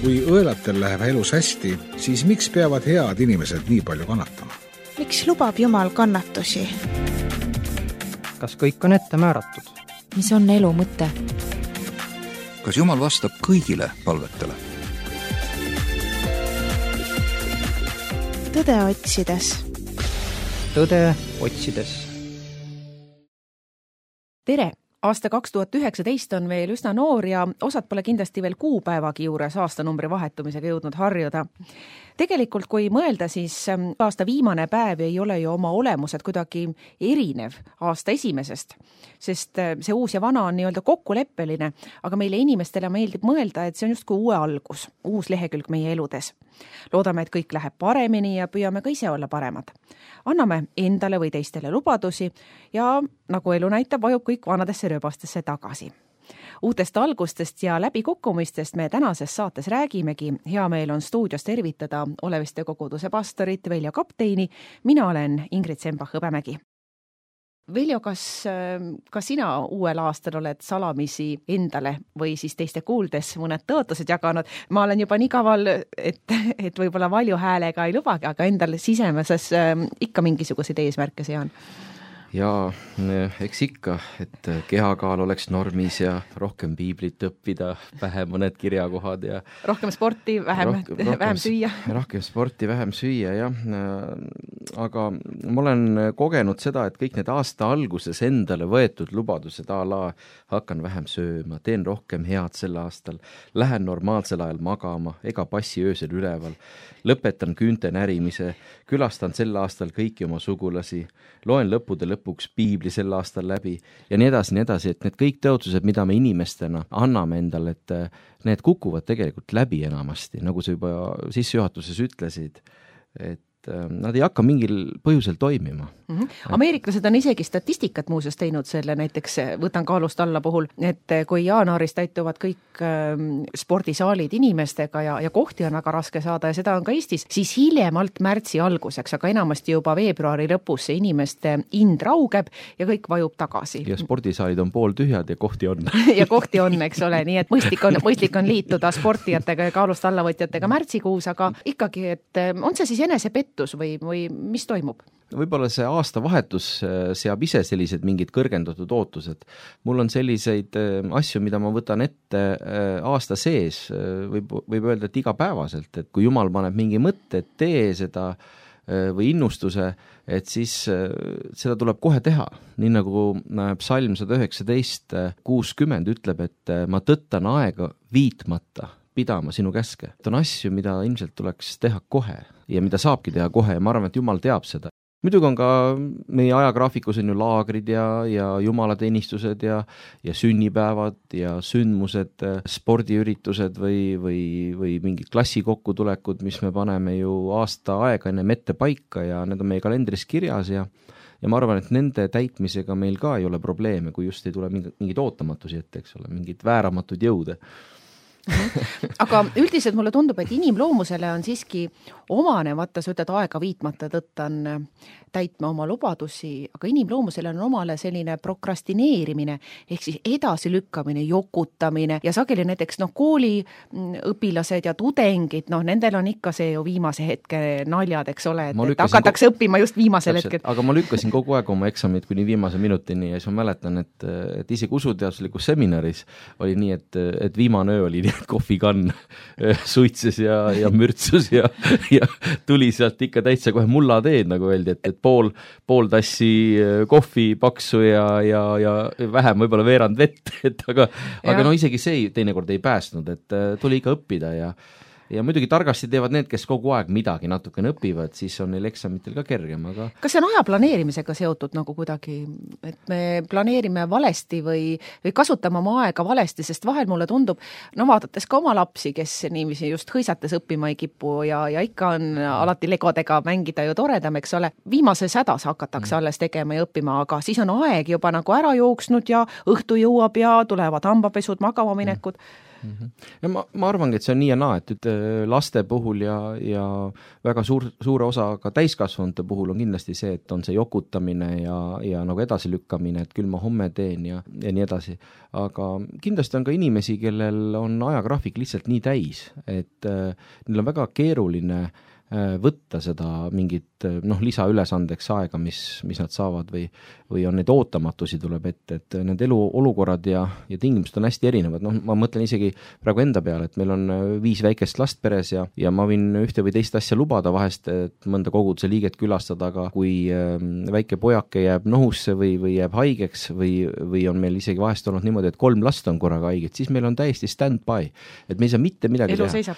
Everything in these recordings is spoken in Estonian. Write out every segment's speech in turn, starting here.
Kui õelatel läheb elus hästi, siis miks peavad head inimesed nii palju kannatama? Miks lubab Jumal kannatusi? Kas kõik on ette määratud? Mis on elu mõte? Kas Jumal vastab kõigile palvetele? Tõde otsides. Tõde otsides. Tere! Aasta 2019 on veel üsna noor ja osad pole kindlasti veel kuupäevagi juures aastanumbri vahetumisega jõudnud harjuda. Tegelikult, kui mõelda, siis aasta viimane päev ei ole ju oma olemused kuidagi erinev aasta esimesest, sest see uus ja vana on nii-öelda kokkuleppeline, aga meile inimestele meeldib mõelda, et see on justkui uue algus, uus lehekülg meie eludes. Loodame, et kõik läheb paremini ja püüame ka ise olla paremad. Anname endale või teistele lubadusi ja nagu elu näitab, vajub kõik vanadesse rööbastesse tagasi. Uutest algustest ja läbikukkumistest me tänases saates räägimegi. Hea meel on stuudios tervitada Oleviste koguduse pastorit Veljo Kapteini. Mina olen Ingrid Sembach-Hõbemägi. Veljo, kas sina uuel aastal oled salamisi endale või siis teiste kuuldes mõned tõotused jaganud? Ma olen juba nii kaval, et võib-olla valju häälega ei lubagi, aga endal sisemeses ikka mingisuguseid eesmärke sean. Ja eks ikka, et kehakaal oleks normis ja rohkem piiblit õppida, vähem mõned kirjakohad ja rohkem sporti, vähem süüa. Rohkem sporti, vähem süüa, jah. Aga ma olen kogenud seda, et kõik need aasta alguses endale võetud lubadused hakkan vähem sööma, teen rohkem head sel aastal, lähen normaalsel ajal magama, ega passi öösel üleval, lõpetan küünte närimise, külastan sel aastal kõiki oma sugulasi, loen lõppude lõpuks piibli sel aastal läbi ja nii edasi, et need kõik tõotused, mida me inimestena anname endale, et need kukuvad tegelikult läbi enamasti, nagu sa juba sissejuhatuses ütlesid, et nad ei hakka mingil põhjusel toimima. Ameeriklased on isegi statistikat muuseas teinud selle, näiteks võtan kaalust alla puhul, et kui jaanuaris täituvad kõik spordisaalid inimestega ja kohti on väga raske saada ja seda on ka Eestis, siis hiljemalt märtsi alguseks, aga enamasti juba veebruari lõpus see inimeste ind raugeb ja kõik vajub tagasi. Ja spordisaalid on pooltühjad ja kohti on. Ja kohti on, eks ole, nii et mõistlik on liituda sportijatega ja kaalust allavõtjatega märtsikuus, aga ikkagi, et on see siis enesepettus või mis toimub? Võib-olla see aasta vahetus seab ise sellised mingid kõrgendatud ootused. Mul on selliseid asju, mida ma võtan ette aasta sees, võib öelda, et igapäevaselt, et kui Jumal paneb mingi mõtte, et tee seda või innustuse, et siis seda tuleb kohe teha. Nii nagu psalm 119:60 ütleb, et ma tõttan aega viitmata pidama sinu käske. Et on asju, mida ilmselt tuleks teha kohe ja mida saabki teha kohe ja ma arvan, et Jumal teab seda. Muidugi on ka meie ajagraafikus on ju laagrid ja jumalateenistused ja sünnipäevad ja sündmused, spordiüritused või mingid klassikokkutulekud, mis me paneme ju aasta aega ennem ette paika ja need on meie kalendris kirjas ja ma arvan, et nende täitmisega meil ka ei ole probleeme, kui just ei tule mingid ootamatusi ette, eks ole, mingid vääramatud jõude. Aga üldiselt mulle tundub, et inimloomusele on siiski omane, vaata sa ütled aega viitmata tõttan täitma oma lubadusi, aga inimloomusele on omale selline prokrastineerimine ehk siis edasi lükkamine, jokutamine ja sageli näiteks kooliõpilased ja tudengid, nendel on ikka see ju viimase hetke naljad, eks ole, et hakatakse õppima just viimasel hetkel. Aga ma lükkasin kogu aeg oma eksamid kuni viimase minutini ja siis ma mäletan, et isegi usuteaduslikus seminaris oli nii, et viimane öö oli nii, et kohvikann suitses ja mürtsus ja tuli sealt ikka täitsa kohe mullateed, nagu öeldi, et pool tassi kohvi paksu ja vähem võib-olla veerand vett, aga isegi see teinekord ei päästnud, et tuli ikka õppida ja muidugi targasti teevad need, kes kogu aeg midagi natukene õpivad, siis on neil eksamitel ka kergem, aga kas see on aja planeerimisega seotud nagu kuidagi, et me planeerime valesti või kasutame oma aega valesti, sest vahel mulle tundub, vaadates ka oma lapsi, kes niiviisi just hõisates õppima ei kipu ja ikka on alati legodega mängida ju toredam, eks ole, viimases hädas hakatakse alles tegema ja õppima, aga siis on aeg juba nagu ära jooksnud ja õhtu jõuab ja tulevad hambapesud, magama minekud. Ja ma arvangi, et see on nii ja naa, et laste puhul ja väga suure osa ka täiskasvanute puhul on kindlasti see, et on see jokutamine ja nagu edasilükkamine, et küll ma homme teen ja nii edasi. Aga kindlasti on ka inimesi, kellel on ajagraafik lihtsalt nii täis, et neil on väga keeruline võtta seda mingit lisaülesandeks aega, mis nad saavad või on neid ootamatusi tuleb ette, et need eluolukorrad ja tingimused on hästi erinevad. Ma mõtlen isegi praegu enda peale, et meil on 5 väikest last peres ja ma võin ühte või teist asja lubada vahest, et mõnda koguduse liiget külastada, aga kui väike pojake jääb nohusse või jääb haigeks või on meil isegi vahest olnud niimoodi, et 3 last on korraga haiged, siis meil on täiesti stand-by, et me ei saa mitte midagi teha.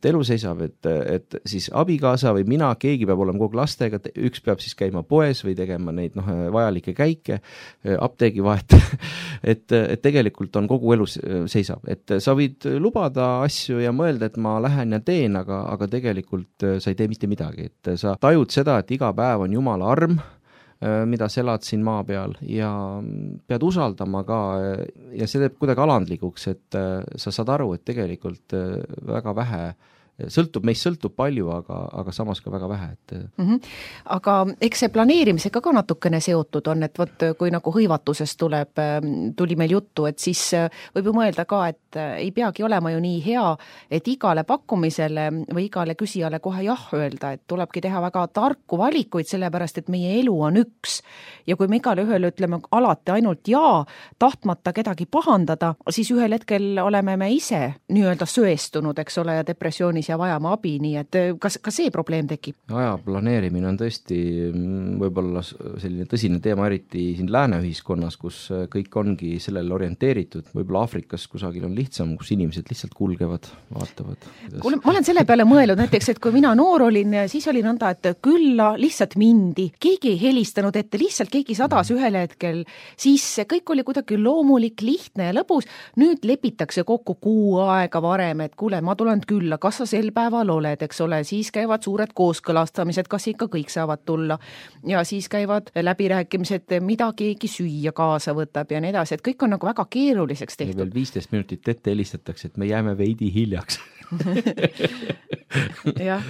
Elu seisab, et siis abikaasa või mina, keegi peab olema kogu lastega, üks peab siis käima poes või tegema neid vajalikke käike, apteegi vahet, et tegelikult on kogu elu seisab, et sa võid lubada asju ja mõelda, et ma lähen ja teen, aga tegelikult sa ei tee mitte midagi, et sa tajud seda, et iga päev on Jumala arm, mida sa elad siin maa peal ja pead usaldama ka ja see teeb kuidagi alandlikuks, et sa saad aru, et tegelikult väga vähe meist sõltub palju, aga samas ka väga vähe. Aga eks see planeerimisega ka natukene seotud on, et võt, kui nagu hõivatusest tuli meil juttu, et siis võib ju mõelda ka, et ei peagi olema ju nii hea, et igale pakkumisele või igale küsijale kohe jah öelda, et tulebki teha väga tarku valikuid, sellepärast, et meie elu on üks. Ja kui me igale ühele ütleme alati ainult jaa, tahtmata kedagi pahandada, siis ühel hetkel oleme me ise nii-öelda söestunud, eks ole, ja depressioonis ja vajama abi, nii et kas see probleem tekib? Aja planeerimine on tõesti võib-olla selline tõsine teema, eriti siin lääne ühiskonnas, kus kõik ongi sellele orienteeritud. Võib-olla Aafrikas kusagil on lihtsam, kus inimesed lihtsalt kulgevad, vaatavad. Ma olen selle peale mõelnud näiteks, et kui mina noor olin, siis oli nõnda, et külla lihtsalt mindi. Keegi ei helistanud ette, lihtsalt keegi sadas ühel hetkel. Siis kõik oli kuidagi loomulik, lihtne ja lõbus. Nüüd lepitakse kokku kuu aega varem, et kuule, ma tulen külla, kas sa sel päeval oled, eks ole, siis käivad suured kooskõlastamised, kas ikka kõik saavad tulla ja siis käivad läbirääkimised, mida keegi süüa kaasa võtab ja nii edasi, et kõik on nagu väga keeruliseks tehtud. Ja veel 15 minutit ette helistatakse, et me jääme veidi hiljaks. Jah.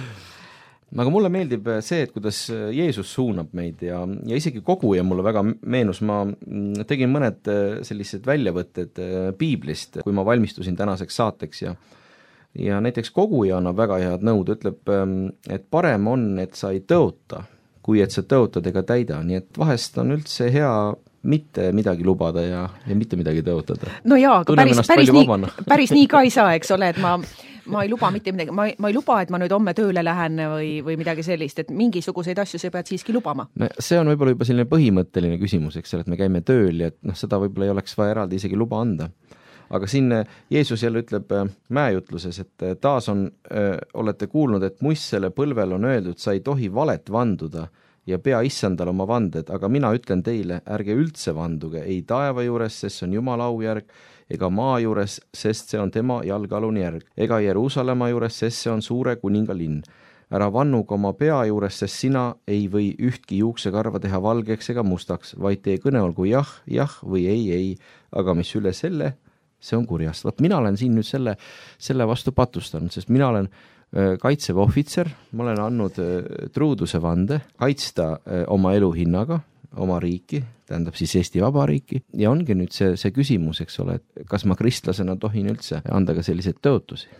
Aga mulle meeldib see, et kuidas Jeesus suunab meid ja isegi koguja mulle väga meenus, ma tegin mõned sellised väljavõtted piiblist, kui ma valmistusin tänaseks saateks ja näiteks koguja annab väga head nõud, ütleb, et parem on, et sa ei tõota, kui et sa tõotad ega täida, nii et vahest on üldse hea mitte midagi lubada ja mitte midagi tõotada. No jaa, aga päris nii ka ei saa, eks ole, et ma ei luba mitte midagi, ma ei luba, et ma nüüd homme tööle lähen või midagi sellist, et mingisuguseid asju sa pead siiski lubama. No, see on võib-olla juba selline põhimõtteline küsimus, eks ole, et me käime tööl ja et seda võib-olla ei oleks vaja eraldi isegi luba anda. Aga siin Jeesus jälle ütleb mäejutluses, et taas olete kuulnud, et muissele põlvel on öeldud, sa ei tohi valet vanduda ja pea issandal oma vanded, aga mina ütlen teile, ärge üldse vanduge, ei taeva juures, sest see on Jumala aujärg, ega maa juures, sest see on tema jalgealune järg, ega Jeruusalemma juures, sest see on suure kuninga linn. Ära vannuga oma pea juures, sest sina ei või ühtki juuksekarva teha valgeks ega mustaks, vaid tee kõne olgu jah, jah või ei, aga mis üle selle, see on kurjast. Vaat mina olen siin nüüd selle vastu patustanud, sest mina olen kaitseväe ohvitser, ma olen andnud truuduse vande kaitsta oma elu hinnaga, oma riiki, tähendab siis Eesti Vabariiki ja ongi nüüd see küsimus, eks ole, et kas ma kristlasena tohin üldse anda ka selliseid tõotusi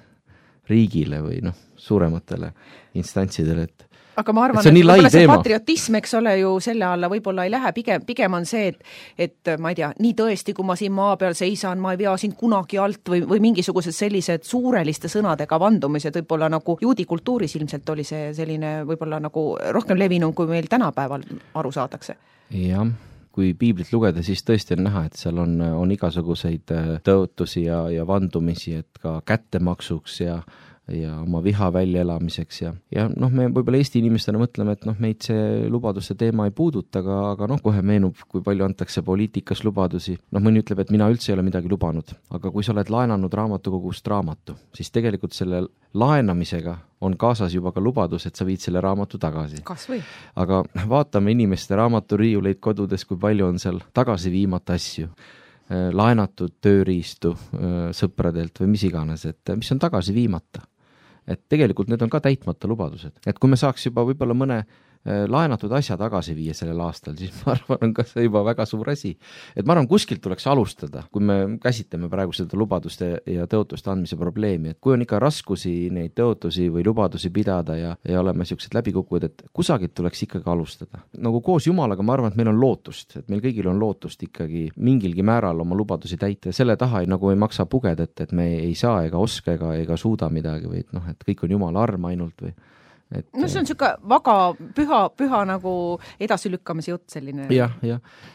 riigile või suurematele instantsidele, et aga ma arvan, et see patriotism, eks ole ju selle alla võib-olla ei lähe, pigem on see, et ma ei tea, nii tõesti, kui ma siin maa peal seisan, ma ei vea siin kunagi alt või mingisugused sellised suureliste sõnadega vandumised, võib-olla nagu juudi kultuuris ilmselt oli see selline võib-olla nagu rohkem levinum, kui meil tänapäeval aru saadakse. Jah, kui piiblit lugeda, siis tõesti on näha, et seal on igasuguseid tõotusi ja vandumisi, et ka kättemaksuks ja oma viha väljaelamiseks ja me võib-olla Eesti inimestena mõtleme, et meid see lubaduste teema ei puuduta, aga kohe meenub, kui palju antakse poliitikas lubadusi. Mõni ütleb, et mina üldse ei ole midagi lubanud, aga kui sa oled laenanud raamatukogust raamatu, siis tegelikult selle laenamisega on kaasas juba ka lubadus, et sa viid selle raamatu tagasi. Kas või? Aga vaatame inimeste raamaturiiuleid kodudes, kui palju on seal tagasi viimata asju. laenatud tööriistu sõpradelt või mis iganes, et mis on tagasi viimata. Et tegelikult need on ka täitmata lubadused. Et kui me saaks juba võib-olla mõne laenatud asja tagasi viia sellel aastal, siis ma arvan, on ka see juba väga suur asi. Et ma arvan, kuskilt tuleks alustada, kui me käsitleme praegu seda lubaduste ja tõotuste andmise probleemi, et kui on ikka raskusi neid tõotusi või lubadusi pidada ja oleme sellised läbikukkuvad, et kusagilt tuleks ikkagi alustada. Nagu koos Jumalaga ma arvan, et meil on lootust, et meil kõigil on lootust ikkagi mingilgi määral oma lubadusi täita ja selle taha nagu ei maksa pugeda, et me ei saa ega oska ega suuda midagi või et kõik on Jumala arm ainult või no see on niisugune väga püha nagu edasilükkamise jutt selline. Jah,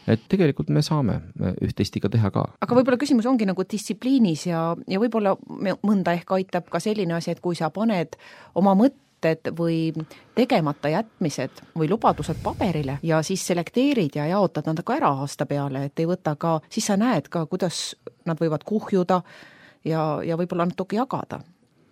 et tegelikult me saame üht-teist ikka teha ka. Aga võib-olla küsimus ongi nagu distsipliinis ja võib-olla mõnda ehk aitab ka selline asi, et kui sa paned oma mõtted või tegemata jätmised või lubadused paberile ja siis selekteerid ja jaotad nad ka ära aasta peale, et ei võta ka, siis sa näed ka, kuidas nad võivad kuhjuda ja võib-olla natuke jagada.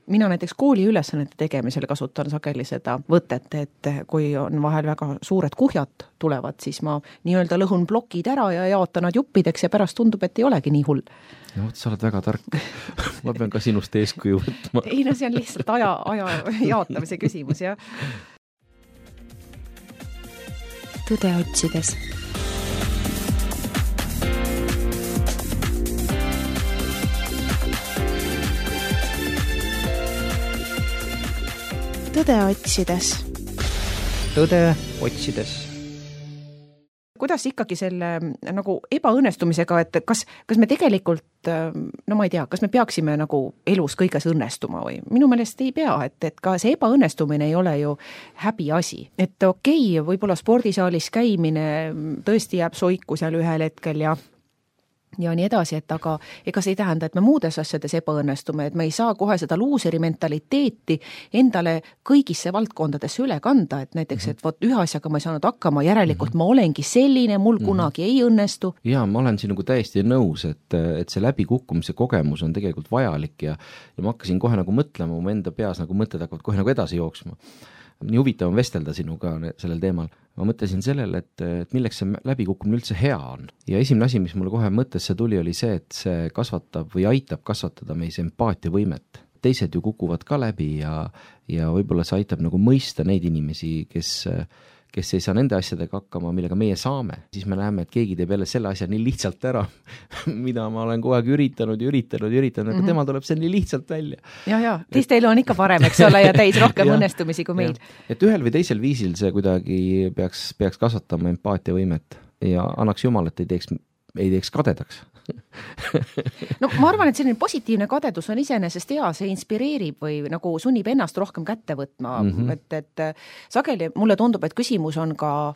Mina näiteks kooli ülesannete tegemisel kasutan sageli seda võtet, et kui on vahel väga suured kuhjad tulevad, siis ma nii-öelda lõhun plokid ära ja jaotan nad juppideks ja pärast tundub, et ei olegi nii hull. No, sa oled väga tark. Ma pean ka sinust eeskuju võtma. Ei, no see on lihtsalt aja jaotamise küsimus, jah. Tõde otsides. Tõde otsides. Tõde otsides. Kuidas ikkagi selle nagu ebaõnnestumisega, et kas me tegelikult, no ma ei tea, kas me peaksime nagu elus kõiges õnnestuma või? Minu meelest ei pea, et ka see ebaõnnestumine ei ole ju häbi asi. Et okei, võib-olla spordisaalis käimine tõesti jääb soiku seal ühel hetkel ja nii edasi, et aga ega see ei tähenda, et me muudes asjades ebaõnnestume, et me ei saa kohe seda luuseri mentaliteeti endale kõigisse valdkondadesse üle kanda, et näiteks, et vot ühe asjaga ma ei saanud hakkama, järelikult ma olengi selline, mul kunagi ei õnnestu. Ja ma olen siin nagu täiesti nõus, et see läbikukkumise kogemus on tegelikult vajalik ja ma hakkasin kohe nagu mõtlema, mu enda peas nagu mõtted hakkavad kohe nagu edasi jooksma. Nii huvitav on vestelda sinuga sellel teemal. Ma mõtlesin sellele, et milleks see läbikukkumine üldse hea on. Ja esimene asi, mis mulle kohe mõttesse tuli, oli see, et see kasvatab või aitab kasvatada meis empaatiavõimet. Teised ju kukuvad ka läbi ja võib-olla see aitab nagu mõista neid inimesi, kes ei saa nende asjadega hakkama, millega meie saame. Siis me näeme, et keegi teeb jälle selle asja nii lihtsalt ära, mida ma olen kogu aeg üritanud, aga tema tuleb see nii lihtsalt välja. Ja, teistel on ikka parem, eks ole, ja täis rohkem õnnestumisi kui meil. Et ühel või teisel viisil see kuidagi peaks kasvatama empaatiavõimet ja annaks Jumal, et ei teeks kadedaks. No ma arvan, et selline positiivne kadedus on iseenesest hea, see inspireerib või nagu sunnib ennast rohkem kätte võtma, et sageli mulle tundub, et küsimus on ka,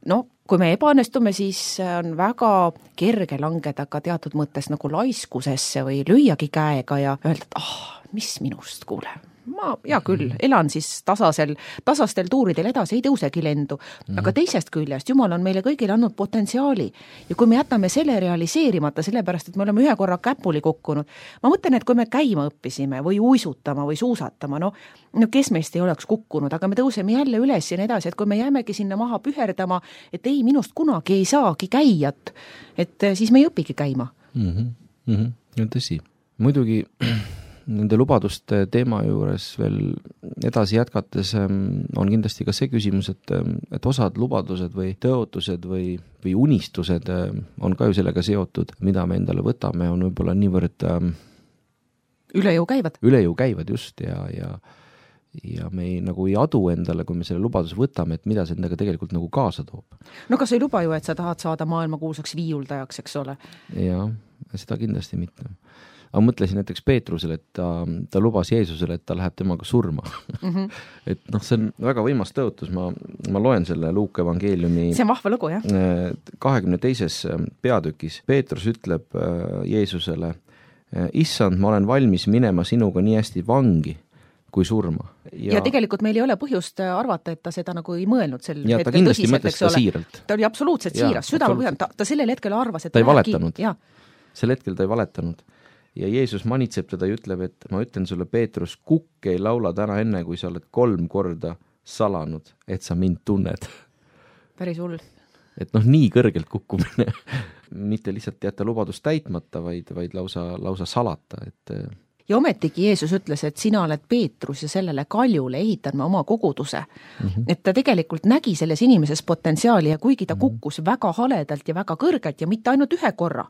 kui me ebaõnnestume, siis on väga kerge langeda ka teatud mõttes nagu laiskusesse või lüüagi käega ja öelda, et mis minust, kuule. Ma hea küll, elan siis tasastel tuuridel edasi, ei tõusegi lendu, aga teisest küljest Jumal on meile kõigile andnud potentsiaali ja kui me jätame selle realiseerimata, sellepärast, et me oleme ühe korra käpuli kukkunud, ma mõtlen, et kui me käima õppisime või uisutama või suusatama, no kes meist ei oleks kukkunud, aga me tõuseme jälle üles ja nii edasi, et kui me jäämegi sinna maha püherdama, et ei, minust kunagi ei saagi käijat, et siis me ei õpigi käima. Tõsi, muidugi nende lubaduste teema juures veel edasi jätkates on kindlasti ka see küsimus, et osad lubadused või tõotused või unistused on ka ju sellega seotud, mida me endale võtame, on võib-olla niivõrd üle jõu käivad just ja me nagu ei adu endale, kui me selle lubaduse võtame, et mida see endaga tegelikult nagu kaasa toob. No kas ei luba ju, et sa tahad saada maailmakuulsaks viiuldajaks, eks ole? Jaa, seda kindlasti mitte. Aga mõtlesin näiteks Peetrusele, et ta lubas Jeesusele, et ta läheb temaga surma. Et see on väga võimas tõotus, ma loen selle Luuka evangeeliumi. See on vahva lugu, jah? 22. peatükis Peetrus ütleb Jeesusele, issand, ma olen valmis minema sinuga nii hästi vangi kui surma. Ja tegelikult meil ei ole põhjust arvata, et ta seda nagu ei mõelnud sel hetkel tõsiselt. Ja ta kindlasti mõtles seda siiralt. Ta oli absoluutselt siiras, südamepõhjalt, ta sellel hetkel arvas, et ta ei valetanud. Sel hetkel ta ei valetanud. Ja Jeesus manitseb teda ja ütleb, et ma ütlen sulle, Peetrus, kukk ei laula täna enne, kui sa oled 3 korda salanud, et sa mind tunned. Päris hull. Et nii kõrgelt kukkumine mitte lihtsalt jätta lubadust täitmata, vaid lausa salata, et ja ometigi Jeesus ütles, et sina oled Peetrus ja sellele kaljule ehitan ma oma koguduse. Et ta tegelikult nägi selles inimeses potentsiaali ja kuigi ta kukkus väga haledalt ja väga kõrgelt ja mitte ainult ühe korra,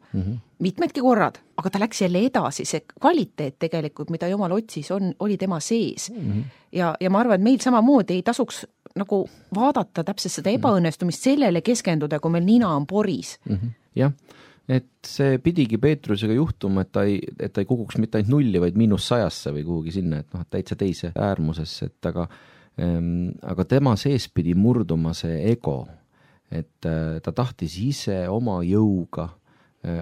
mitmedki korrad, aga ta läks jälle edasi, see kvaliteet tegelikult, mida Jumal otsis, oli tema sees. Ja ma arvan, et meil samamoodi ei tasuks nagu vaadata täpselt seda ebaõnnestumist sellele keskenduda, kui meil nina on poris. Jah, et see pidigi Peetrusega juhtuma, et ta ei kukuks mitte ainult nulli, vaid -100 või kuhugi sinna, et täitsa teise äärmusesse, et aga tema sees pidi murduma see ego, et ta tahtis ise oma jõuga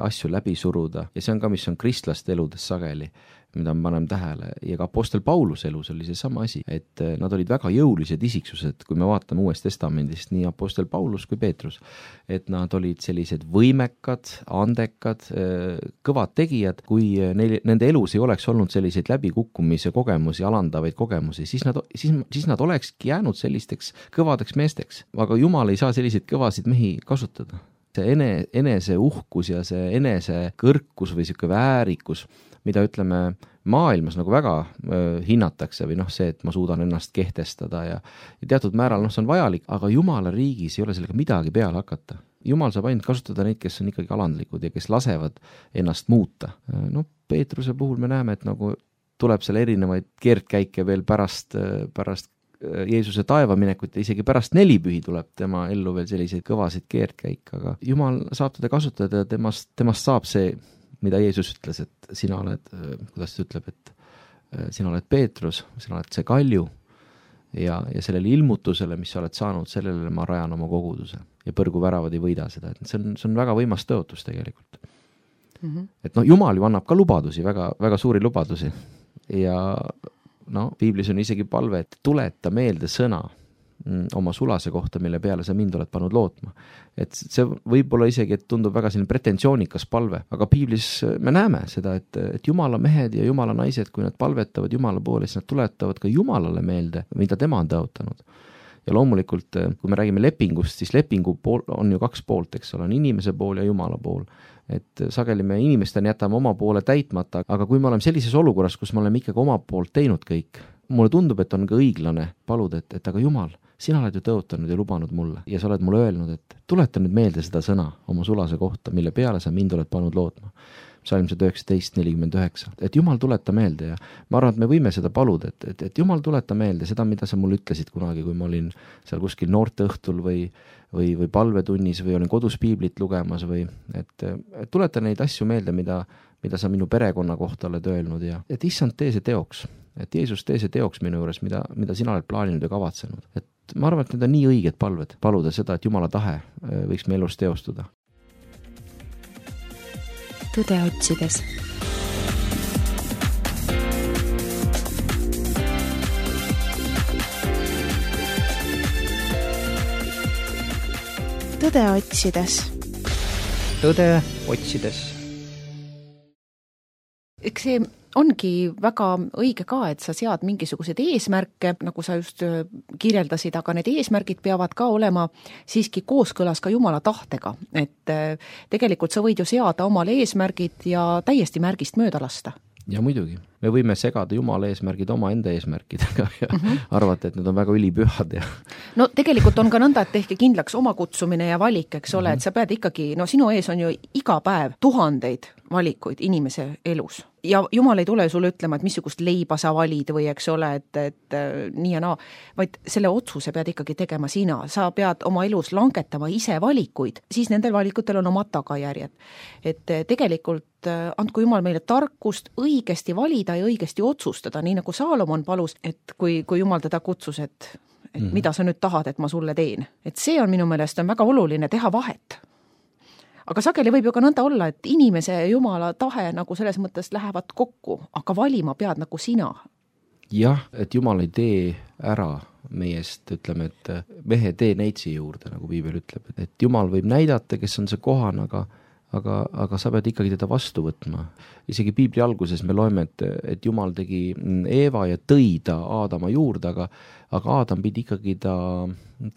asju läbi suruda ja see on ka, mis on kristlaste eludes sageli, mida me paneme tähele, ja ka apostel Pauluse elus oli see sama asi, et nad olid väga jõulised isiksused, kui me vaatame Uuest Testamendist, nii apostel Paulus kui Peetrus, et nad olid sellised võimekad, andekad, kõvad tegijad, kui nende elus ei oleks olnud selliseid läbikukkumise kogemusi, alandavaid kogemusi, siis nad olekski jäänud sellisteks kõvadeks meesteks, aga Jumal ei saa selliseid kõvasid mehi kasutada. See enese uhkus ja see enese kõrkus või siuke väärikus, mida ütleme maailmas nagu väga hinnatakse või see, et ma suudan ennast kehtestada ja teatud määral see on vajalik, aga Jumala riigis ei ole sellega midagi peale hakata. Jumal saab ainult kasutada neid, kes on ikkagi alandlikud ja kes lasevad ennast muuta. Peetruse puhul me näeme, et nagu tuleb seal erinevaid keerdkäike veel pärast Jeesuse taevaminekut ja isegi pärast 4 pühi tuleb tema ellu veel selliseid kõvasid keerdkäik, aga Jumal saab teda kasutada ja temast saab see, mida Jeesus ütles, et sina oled, kuidas ta ütleb, et sina oled Peetrus, sina oled see kalju ja sellele ilmutusele, mis sa oled saanud, sellele ma rajan oma koguduse ja põrguväravad ei võida seda, et see on väga võimas tõotus tegelikult. Et Jumal ju annab ka lubadusi, väga, väga suuri lubadusi ja piiblis on isegi palve, et tuleta meelde sõna oma sulase kohta, mille peale sa mind oled pannud lootma. Et see võib-olla isegi, et tundub väga selline pretensioonikas palve, aga piiblis me näeme seda, et Jumala mehed ja Jumala naised, kui nad palvetavad Jumala poole, siis nad tuletavad ka Jumalale meelde, mida tema on tõotanud. Ja loomulikult, kui me räägime lepingust, siis lepingu pool on ju 2 poolt, eks ole, on inimese pool ja Jumala pool. Et sageli me inimestena jätame oma poole täitmata, aga kui me oleme sellises olukorras, kus me oleme ikkagi oma poolt teinud kõik, mulle tundub, et on ka õiglane paluda, et aga Jumal, sina oled ju tõotanud ja lubanud mulle ja sa oled mulle öelnud, et tuleta nüüd meelde seda sõna oma sulase kohta, mille peale sa mind oled pannud lootma. Psalm 19:49, et Jumal tuleta meelde ja ma arvan, et me võime seda paluda, et Jumal tuleta meelde seda, mida sa mulle ütlesid kunagi, kui ma olin seal kuskil noorteõhtul või palvetunnis või olin kodus piiblit lugemas või et tuleta neid asju meelde, mida sa minu perekonna kohta oled öelnud ja et issand, tee see teoks, et Jeesus tee see teoks minu juures, mida sina oled plaaninud ja kavatsenud. Et ma arvan, et need on nii õiged palved, paluda seda, et Jumala tahe võiks me elus teostuda. Tõde otsides. Tõde otsides. Tõde otsides. Eks see ongi väga õige ka, et sa sead mingisuguseid eesmärke, nagu sa just kirjeldasid, aga need eesmärgid peavad ka olema siiski kooskõlas ka Jumala tahtega. Et tegelikult sa võid ju seada omale eesmärgid ja täiesti märgist mööda lasta. Ja muidugi, me võime segada Jumala eesmärgid oma enda eesmärkidega ja arvata, et need on väga ülipühad. No tegelikult on ka nõnda, et tehke kindlaks oma kutsumine ja valik, eks ole, et sa pead ikkagi, sinu ees on ju iga päev tuhandeid valikuid inimese elus. Ja Jumal ei tule sulle ütlema, et missugust leiba sa valid või eks ole, et nii ja naa, vaid selle otsuse pead ikkagi tegema sina. Sa pead oma elus langetama ise valikuid, siis nendel valikutel on omad tagajärjed. Et tegelikult andku Jumal meile tarkust õigesti valida ja õigesti otsustada, nii nagu Saalomon palus, et kui Jumal teda kutsus, et mida sa nüüd tahad, et ma sulle teen. Et see on minu meelest on väga oluline teha vahet. Aga sageli võib ju ka nõnda olla, et inimese ja Jumala tahe nagu selles mõttes lähevad kokku, aga valima pead nagu sina. Jah, et Jumal ei tee ära meiest, ütleme, et mehe tee neitsi juurde, nagu piibel ütleb. Et Jumal võib näidata, kes on see kohan, aga aga sa pead ikkagi teda vastu võtma. Isegi Piibli alguses me loeme, et Jumal tegi Eeva ja tõi ta Aadama juurde, aga Aadam pidi ikkagi ta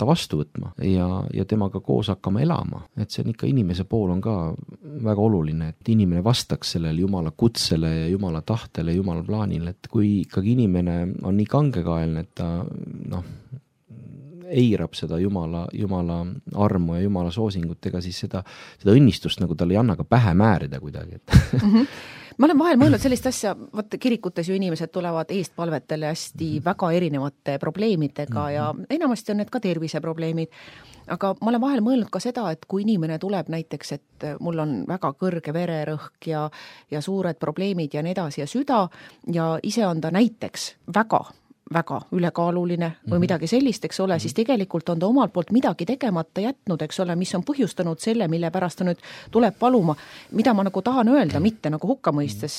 vastu võtma ja temaga koos hakkama elama. Et see on ikka inimese pool on ka väga oluline, et inimene vastaks sellele Jumala kutsele ja Jumala tahtele, Jumala plaanile, et kui ikkagi inimene on nii kangekaelne, et ta eirab seda Jumala armu ja Jumala soosingut, ega siis seda õnnistust nagu tal ei anna ka pähe määrida kuidagi. Ma olen vahel mõelnud sellist asja, kirikutes ju inimesed tulevad eestpalvetele hästi väga erinevate probleemidega ja enamasti on need ka terviseprobleemid, aga ma olen vahel mõelnud ka seda, et kui inimene tuleb näiteks, et mul on väga kõrge vererõhk ja suured probleemid ja nii edasi ja süda ja ise on ta näiteks väga ülekaaluline või midagi sellist, eks ole, siis tegelikult on ta omalt poolt midagi tegemata jätnud, eks ole, mis on põhjustanud selle, mille pärast ta nüüd tuleb paluma, mida ma nagu tahan öelda, mitte nagu hukka mõistes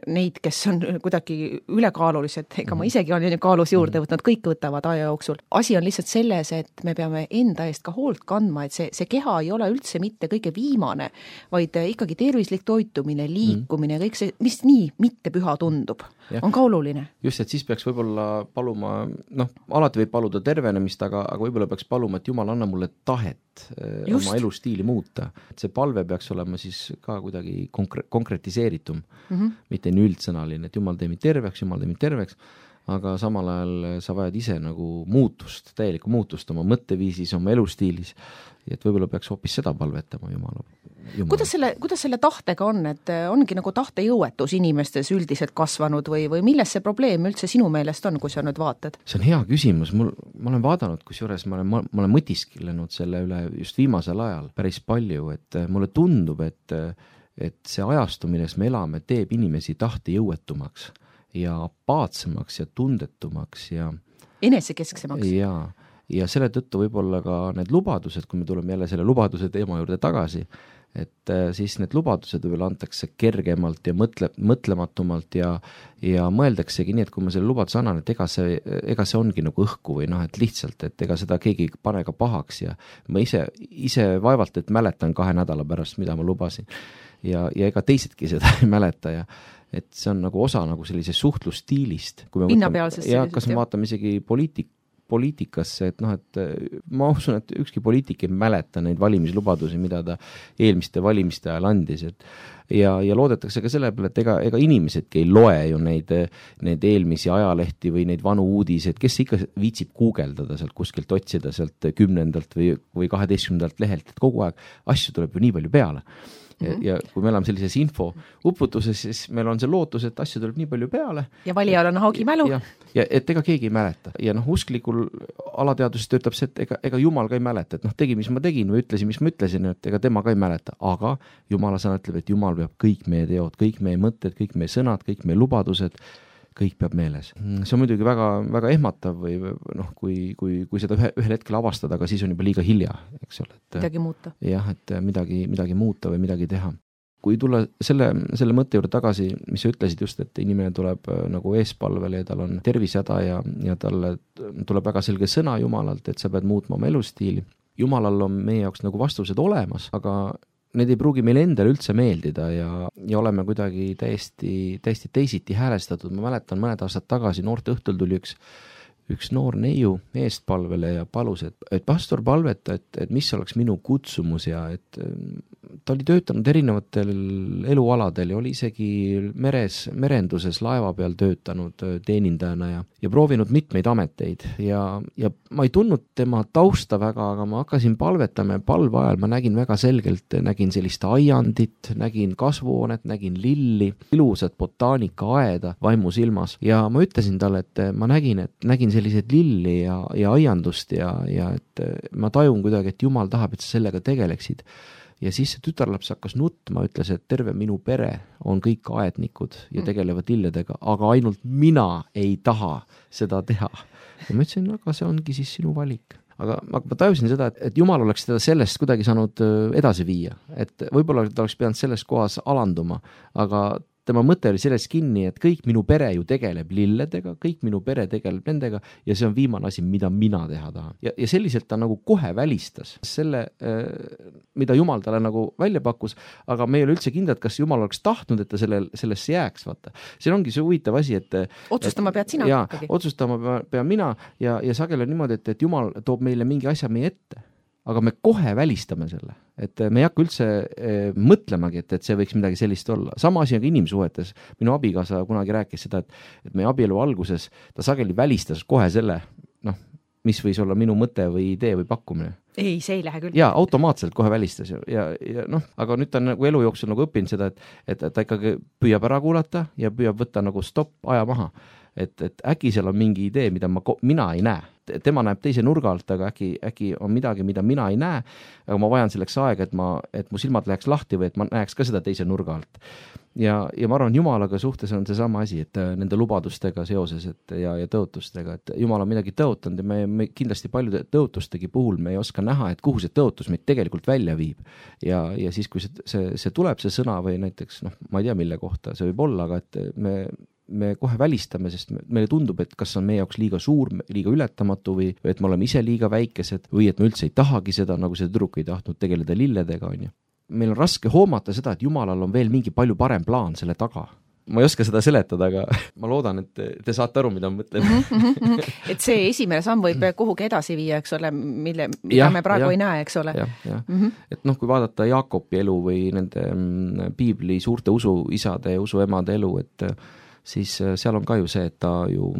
neid, kes on kuidagi ülekaalulised, ega ma isegi olen kaalus juurde võtnud, kõik võtavad aja jooksul. Asi on lihtsalt selles, et me peame enda eest ka hoolt kandma, et see keha ei ole üldse mitte kõige viimane, vaid ikkagi tervislik toitumine, liikumine, kõik see, mis nii mitte püha tundub, on ka oluline. Just, et siis peaks võib-olla paluma, alati võib paluda tervenemist, aga võib-olla peaks paluma, et Jumal anna mulle tahet oma elustiili muuta. Et see palve peaks olema siis ka kuidagi konkretiseeritum, mitte nii üldsõnaline, et Jumal tee mind terveks, aga samal ajal sa vajad ise nagu muutust, täielikku muutust oma mõtteviisis, oma elustiilis, et võib-olla peaks hoopis seda palvetama Jumala. Kuidas selle tahtega on, et ongi nagu tahtejõuetus inimestes üldiselt kasvanud või milles see probleem üldse sinu meelest on, kui sa nüüd vaatad? See on hea küsimus, ma olen vaadanud, kusjuures ma olen mõtisklenud selle üle just viimasel ajal päris palju, et mulle tundub, et see ajastu, milles me elame, teeb inimesi tahtejõuetumaks ja apaatsemaks ja tundetumaks ja enesekesksemaks. Ja selle tõttu võib-olla ka need lubadused, kui me tuleme jälle selle lubaduse teema juurde tagasi, et siis need lubadused võib-olla antakse kergemalt ja mõtlematumalt ja mõeldaksegi nii, et kui ma selle lubaduse annan, et ega see ongi nagu õhku või et lihtsalt, et ega seda keegi ei pane ka pahaks ja ma ise vaevalt, et mäletan 2 nädala pärast, mida ma lubasin ja ega teisedki seda ei mäleta ja et see on nagu osa nagu sellise suhtlusstiilist. Pinnapealsest ja kas me vaatame isegi poliitikasse, et et ma usun, et ükski poliitik ei mäleta neid valimislubadusi, mida ta eelmiste valimiste ajal andis, ja loodetakse ka selle peale, et ega inimesedki ei loe ju neid eelmisi ajalehti või neid vanu uudiseid, kes ikka viitsib guugeldada sealt kuskilt, otsida sealt 10. või 12. lehelt, et kogu aeg asju tuleb ju nii palju peale. Ja kui me oleme sellises info uputuses, siis meil on see lootus, et asju tuleb nii palju peale. Ja valijal on haagimälu. Ja et ega keegi ei mäleta. Ja usklikul alateaduses töötab see, et ega Jumal ka ei mäleta, et tegi, mis ma tegin või ütlesin, mis ma ütlesin, et ega tema ka ei mäleta. Aga Jumala sõna ütleb, et Jumal peab kõik meie teod, kõik meie mõtted, kõik meie sõnad, kõik meie lubadused, kõik peab meeles. See on muidugi väga, väga ehmatav või kui seda ühel hetkel avastada, aga siis on juba liiga hilja, eks ole. Midagi muuta. Jah, et midagi muuta või midagi teha. Kui tulla selle mõtte juurde tagasi, mis sa ütlesid just, et inimene tuleb nagu eespalvele ja tal on tervisehäda ja talle tuleb väga selge sõna Jumalalt, et sa pead muutma oma elustiili. Jumalal on meie jaoks nagu vastused olemas, aga need ei pruugi meile endale üldse meeldida ja oleme kuidagi täiesti teisiti häälestatud. Ma mäletan, mõned aastad tagasi noorte õhtul tuli üks noor neiu eestpalvele ja palus, et pastor palveta, et mis oleks minu kutsumus ja et ta oli töötanud erinevatel elualadel ja oli isegi merenduses laeva peal töötanud teenindajana ja proovinud mitmeid ameteid ja ma ei tundnud tema tausta väga, aga ma hakkasin palvetama ja palve ajal ma nägin väga selgelt, nägin sellist aiandit, nägin kasvuhoonet, nägin lilli, ilusat botaanikaaeda vaimusilmas ja ma ütlesin talle, et ma nägin selliseid lilli ja aiandust ja et ma tajun kuidagi, et Jumal tahab, et sa sellega tegeleksid. Ja siis see tütarlaps hakkas nutma, ütles, et terve minu pere on kõik aednikud ja tegelevad lilledega, aga ainult mina ei taha seda teha. Ja ma ütlesin, aga see ongi siis sinu valik. Aga ma tajusin seda, et Jumal oleks teda sellest kuidagi saanud edasi viia, et võib-olla ta oleks pidanud selles kohas alanduma, aga tema mõte oli selles kinni, et kõik minu pere ju tegeleb lilledega, kõik minu pere tegeleb nendega ja see on viimane asi, mida mina teha tahan. Ja selliselt ta nagu kohe välistas selle, mida Jumal talle nagu välja pakkus, aga me ei ole üldse kindlad, kas Jumal oleks tahtnud, et ta sellesse jääks, vaata. See ongi see huvitav asi, et otsustama pead sina ikkagi. Otsustama pean mina ja sageli on niimoodi, et Jumal toob meile mingi asja meie ette. Aga me kohe välistame selle, et me ei hakka üldse mõtlemagi, et see võiks midagi sellist olla. Sama asi on ka inimsuhetes. Minu abikaasa kunagi rääkis seda, et meie abielu alguses ta sageli välistas kohe selle, mis võis olla minu mõte või idee või pakkumine. Ei, see ei lähe küll. Ja automaatselt kohe välistas ja aga nüüd ta on nagu elu jooksul nagu õppinud seda, et ta ikkagi püüab ära kuulata ja püüab võtta nagu stopp, aja maha. Et äkki seal on mingi idee, mida mina ei näe. Tema näeb teise nurga alt, aga äkki on midagi, mida mina ei näe, aga ma vajan selleks aega, et mu silmad läheks lahti või et ma näeks ka seda teise nurga alt. Ja ma arvan, Jumalaga suhtes on see sama asi, et nende lubadustega seoses ja tõotustega, et Jumal on midagi tõotanud ja me kindlasti paljude tõotustegi puhul me ei oska näha, et kuhu see tõotus meid tegelikult välja viib. Ja siis, kui see tuleb, see sõna või näiteks, ma ei tea, mille kohta see võib olla, aga et me kohe välistame, sest meile tundub, et kas on meie jaoks liiga suur, liiga ületamatu või et me oleme ise liiga väikesed või et me üldse ei tahagi seda, nagu see tüdruk ei tahtnud tegeleda lilledega, on ju. Meil on raske hoomata seda, et Jumalal on veel mingi palju parem plaan selle taga. Ma ei oska seda seletada, aga ma loodan, et te saate aru, mida ma mõtlen. Et see esimene samm võib kuhugi edasi viia, eks ole, mida me praegu ei näe, eks ole. Et kui vaadata Jaakobi elu või nende piibli suurte usuisade ja usuemade elu, et siis seal on ka ju see, et ta ju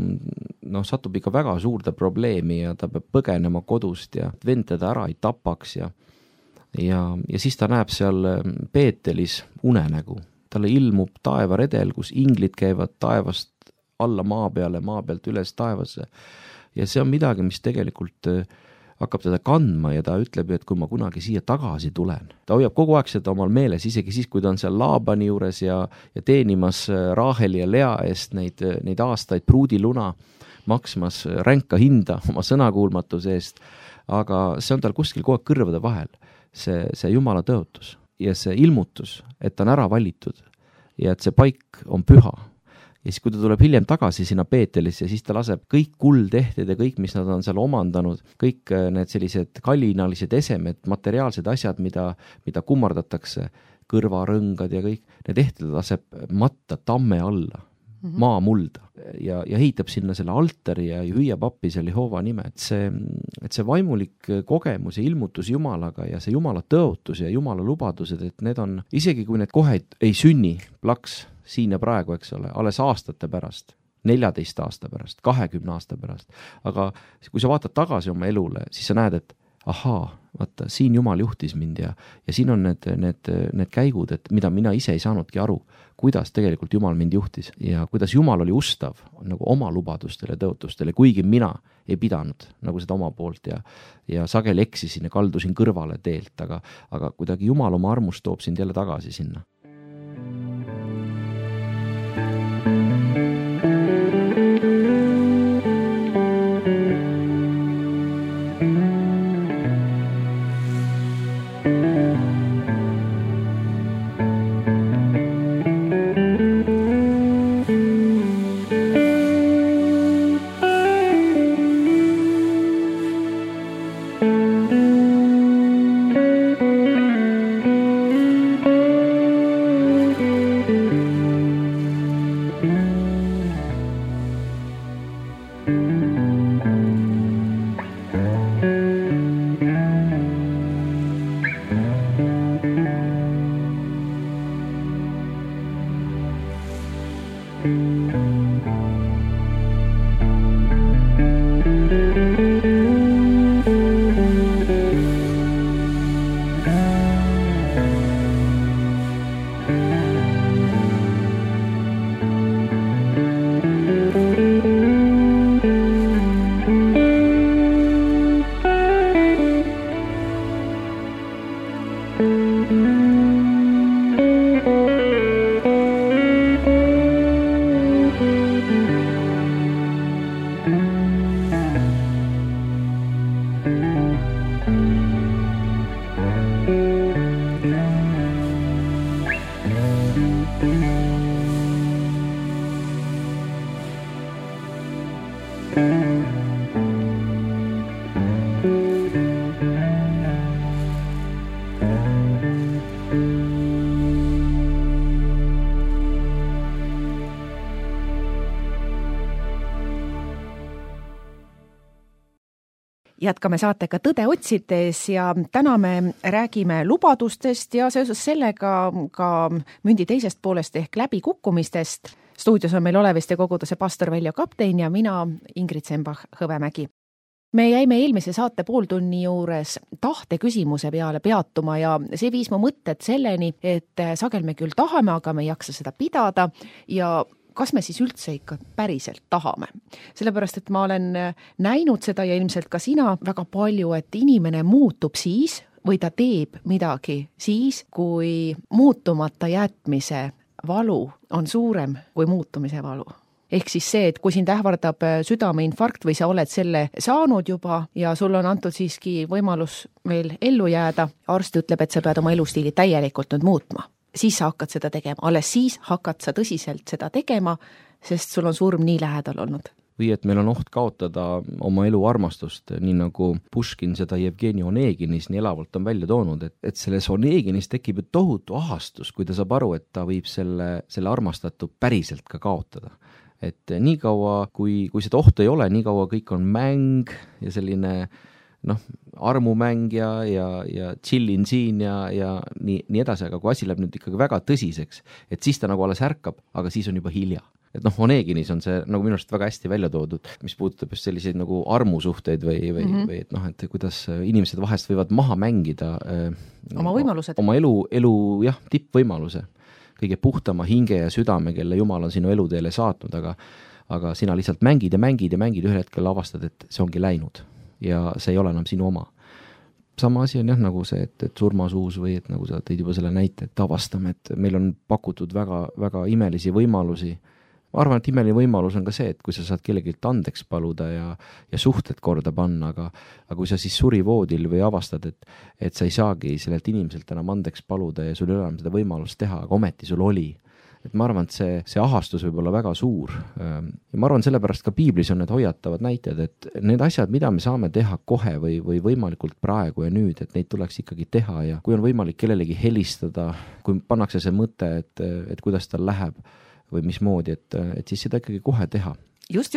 satub ikka väga suurde probleemi ja ta peab põgenema kodust ja vend teda ära ei tapaks ja siis ta näeb seal Peetelis unenägu. Talle ilmub taevaredel, kus inglid käivad taevast alla maa peale, maa pealt üles taevasse ja see on midagi, mis tegelikult hakkab teda kandma ja ta ütleb, et kui ma kunagi siia tagasi tulen. Ta hoiab kogu aeg seda omal meeles, isegi siis, kui ta on seal Laabani juures ja teenimas Raaheli ja Lea eest neid aastaid pruudiluna, maksmas ränka hinda oma sõnakuulmatuse eest, aga see on tal kuskil kogu aeg kõrvade vahel, see Jumala tõotus ja see ilmutus, et ta on ära valitud ja et see paik on püha. Ja siis, kui ta tuleb hiljem tagasi sinna Peetelisse, siis ta laseb kõik kuldehted ja kõik, mis nad on seal omandanud, kõik need sellised kallinalised esemed, materiaalsed asjad, mida kummardatakse, kõrvarõngad ja kõik, need ehted laseb matta tamme alla, maamulda ja ehitab sinna selle altari ja hüüab appi selle Jehova nime. Et see vaimulik kogemus ja ilmutus Jumalaga ja see Jumala tõotus ja Jumala lubadused, et need on, isegi kui need kohe ei sünni plaks, siin ja praegu, eks ole, alles aastate pärast, 14 aasta pärast, 20 aasta pärast. Aga kui sa vaatad tagasi oma elule, siis sa näed, et ahaa, vaata, siin Jumal juhtis mind ja siin on need käigud, et mida mina ise ei saanudki aru, kuidas tegelikult Jumal mind juhtis ja kuidas Jumal oli ustav nagu oma lubadustele, tõotustele, kuigi mina ei pidanud nagu seda oma poolt ja sageli eksisin ja kaldusin kõrvale teelt, aga kuidagi Jumal oma armust toob sind jälle tagasi sinna. Jätkame saatega Tõde otsides ja täna me räägime lubadustest ja seoses sellega ka mündi teisest poolest ehk läbikukkumistest. Stuudios on meil Oleviste koguduse pastor Veljo Kaptein ja mina, Ingrid Sembach-Hõvemägi. Me jäime eelmise saate pooltunni juures tahte küsimuse peale peatuma ja see viis mu mõtted selleni, et sagel me küll tahame, aga me ei jaksa seda pidada ja kas me siis üldse ikka päriselt tahame? Sellepärast, et ma olen näinud seda ja ilmselt ka sina väga palju, et inimene muutub siis või ta teeb midagi siis, kui muutumata jätmise valu on suurem kui muutumise valu. Ehk siis see, et kui sind ähvardab südameinfarkt või sa oled selle saanud juba ja sul on antud siiski võimalus veel ellu jääda, arst ütleb, et sa pead oma elustiili täielikult nüüd muutma. Siis sa hakkad seda tegema, alles siis hakkad sa tõsiselt seda tegema, sest sul on surm nii lähedal olnud. Või et meil on oht kaotada oma elu armastust, nii nagu Puškin seda Jevgeni Oneginis nii elavalt on välja toonud, et selles Oneginis tekib ju tohutu ahastus, kui ta saab aru, et ta võib selle armastatu päriselt ka kaotada. Et nii kaua, kui seda ohtu ei ole, nii kaua kõik on mäng ja selline armumäng ja chillin siin ja nii edasi, aga kui asi läheb nüüd ikkagi väga tõsiseks, et siis ta nagu alles ärkab, aga siis on juba hilja. Et Oneginis on see nagu minu arust väga hästi välja toodud, mis puudutab just selliseid nagu armusuhteid või et et kuidas inimesed vahest võivad maha mängida oma võimalused. Oma elu tippvõimaluse. Kõige puhtama hinge ja südame, kelle Jumal on sinu eluteele saatnud, aga sina lihtsalt mängid ja ühel hetkel avastad, et see ongi läinud ja see ei ole enam sinu oma. Sama asi on nagu see, et surmasuus või et nagu sa tõid juba selle näite, et avastame, et meil on pakutud väga, väga imelisi võimalusi. Ma arvan, et imeline võimalus on ka see, et kui sa saad kellegilt andeks paluda ja suhted korda panna, aga kui sa siis surivoodil või avastad, et sa ei saagi sellelt inimeselt enam andeks paluda ja sul ei ole enam seda võimalust teha, aga ometi sul oli. Et ma arvan, et see ahastus võib olla väga suur. Ja ma arvan, sellepärast ka piiblis on need hoiatavad näited, et need asjad, mida me saame teha kohe või võimalikult praegu ja nüüd, et neid tuleks ikkagi teha ja kui on võimalik kellelegi helistada, kui pannakse see mõte, et kuidas tal läheb või mismoodi, et siis seda ikkagi kohe teha. Just.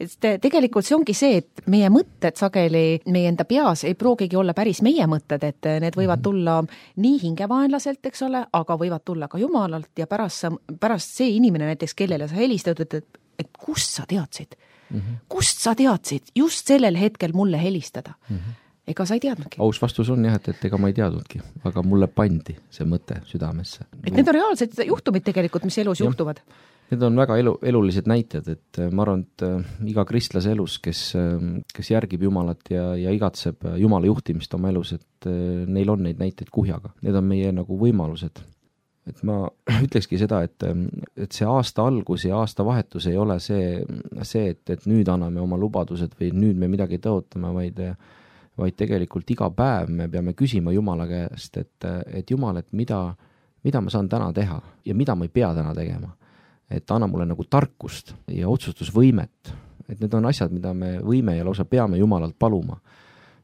Et tegelikult see ongi see, et meie mõtted sageli meie enda peas ei proogigi olla päris meie mõtted, et need võivad tulla nii hingevaenlaselt, eks ole, aga võivad tulla ka Jumalalt ja pärast see inimene näiteks, kellele sa helistad, et kust sa teadsid? Kust sa teadsid just sellel hetkel mulle helistada? Ega sa ei teadnudki. Aus vastus on jah, et ega ma ei teadnudki, aga mulle pandi see mõte südamesse. Et need on reaalsed juhtumid tegelikult, mis elus juhtuvad. Need on väga elulised näited, et ma arvan, et iga kristlase elus, kes järgib Jumalat ja igatseb Jumala juhtimist oma elus, et neil on neid näiteid kuhjaga. Need on meie nagu võimalused. Et ma ütlekski seda, et see aasta algus ja aasta vahetus ei ole see, et nüüd anname oma lubadused või nüüd me midagi tõotame, vaid tegelikult iga päev me peame küsima Jumala käest, et Jumal, et mida ma saan täna teha ja mida ma ei pea täna tegema. Et anna mulle nagu tarkust ja otsustusvõimet. Et need on asjad, mida me võime ja lausa peame Jumalalt paluma.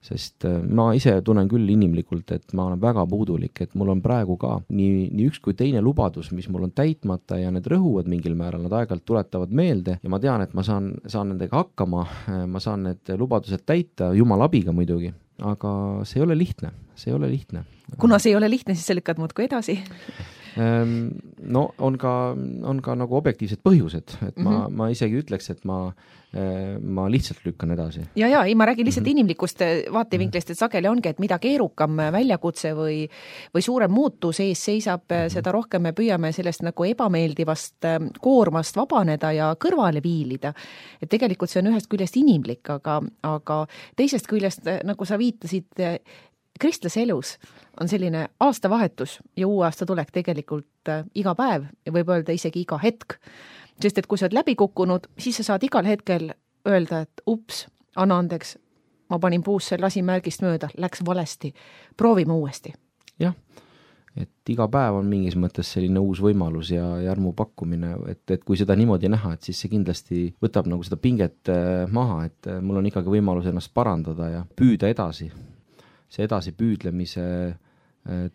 Sest ma ise tunnen küll inimlikult, et ma olen väga puudulik, et mul on praegu ka nii üks kui teine lubadus, mis mul on täitmata ja need rõhuvad mingil määral, nad aeg-ajalt tuletavad meelde ja ma tean, et ma saan nendega hakkama, ma saan need lubadused täita, Jumala abiga muidugi, aga see ei ole lihtne. Kuna see ei ole lihtne, siis sa lükkad muudkui edasi? No on ka nagu objektiivsed põhjused, et ma isegi ütleks, et ma lihtsalt lükkan edasi. Ja, ma räägin lihtsalt inimlikust vaatevinklist, et sageli ongi, et mida keerukam väljakutse või suurem muutus ees seisab, seda rohkem me püüame sellest nagu ebameeldivast koormast vabaneda ja kõrvale viilida. Et tegelikult see on ühest küljest inimlik, aga teisest küljest, nagu sa viitasid, kristlase elus on selline aastavahetus ja uue aasta tulek tegelikult iga päev ja võib öelda isegi iga hetk. Sest et kui sa oled läbi kukkunud, siis sa saad igal hetkel öelda, et ups, anna andeks, ma panin puusse, lasin märgist mööda, läks valesti, proovime uuesti. Jah, et iga päev on mingis mõttes selline uus võimalus ja armu pakkumine, et kui seda niimoodi näha, et siis see kindlasti võtab nagu seda pinget maha, et mul on ikkagi võimalus ennast parandada ja püüda edasi. See edasi püüdlemise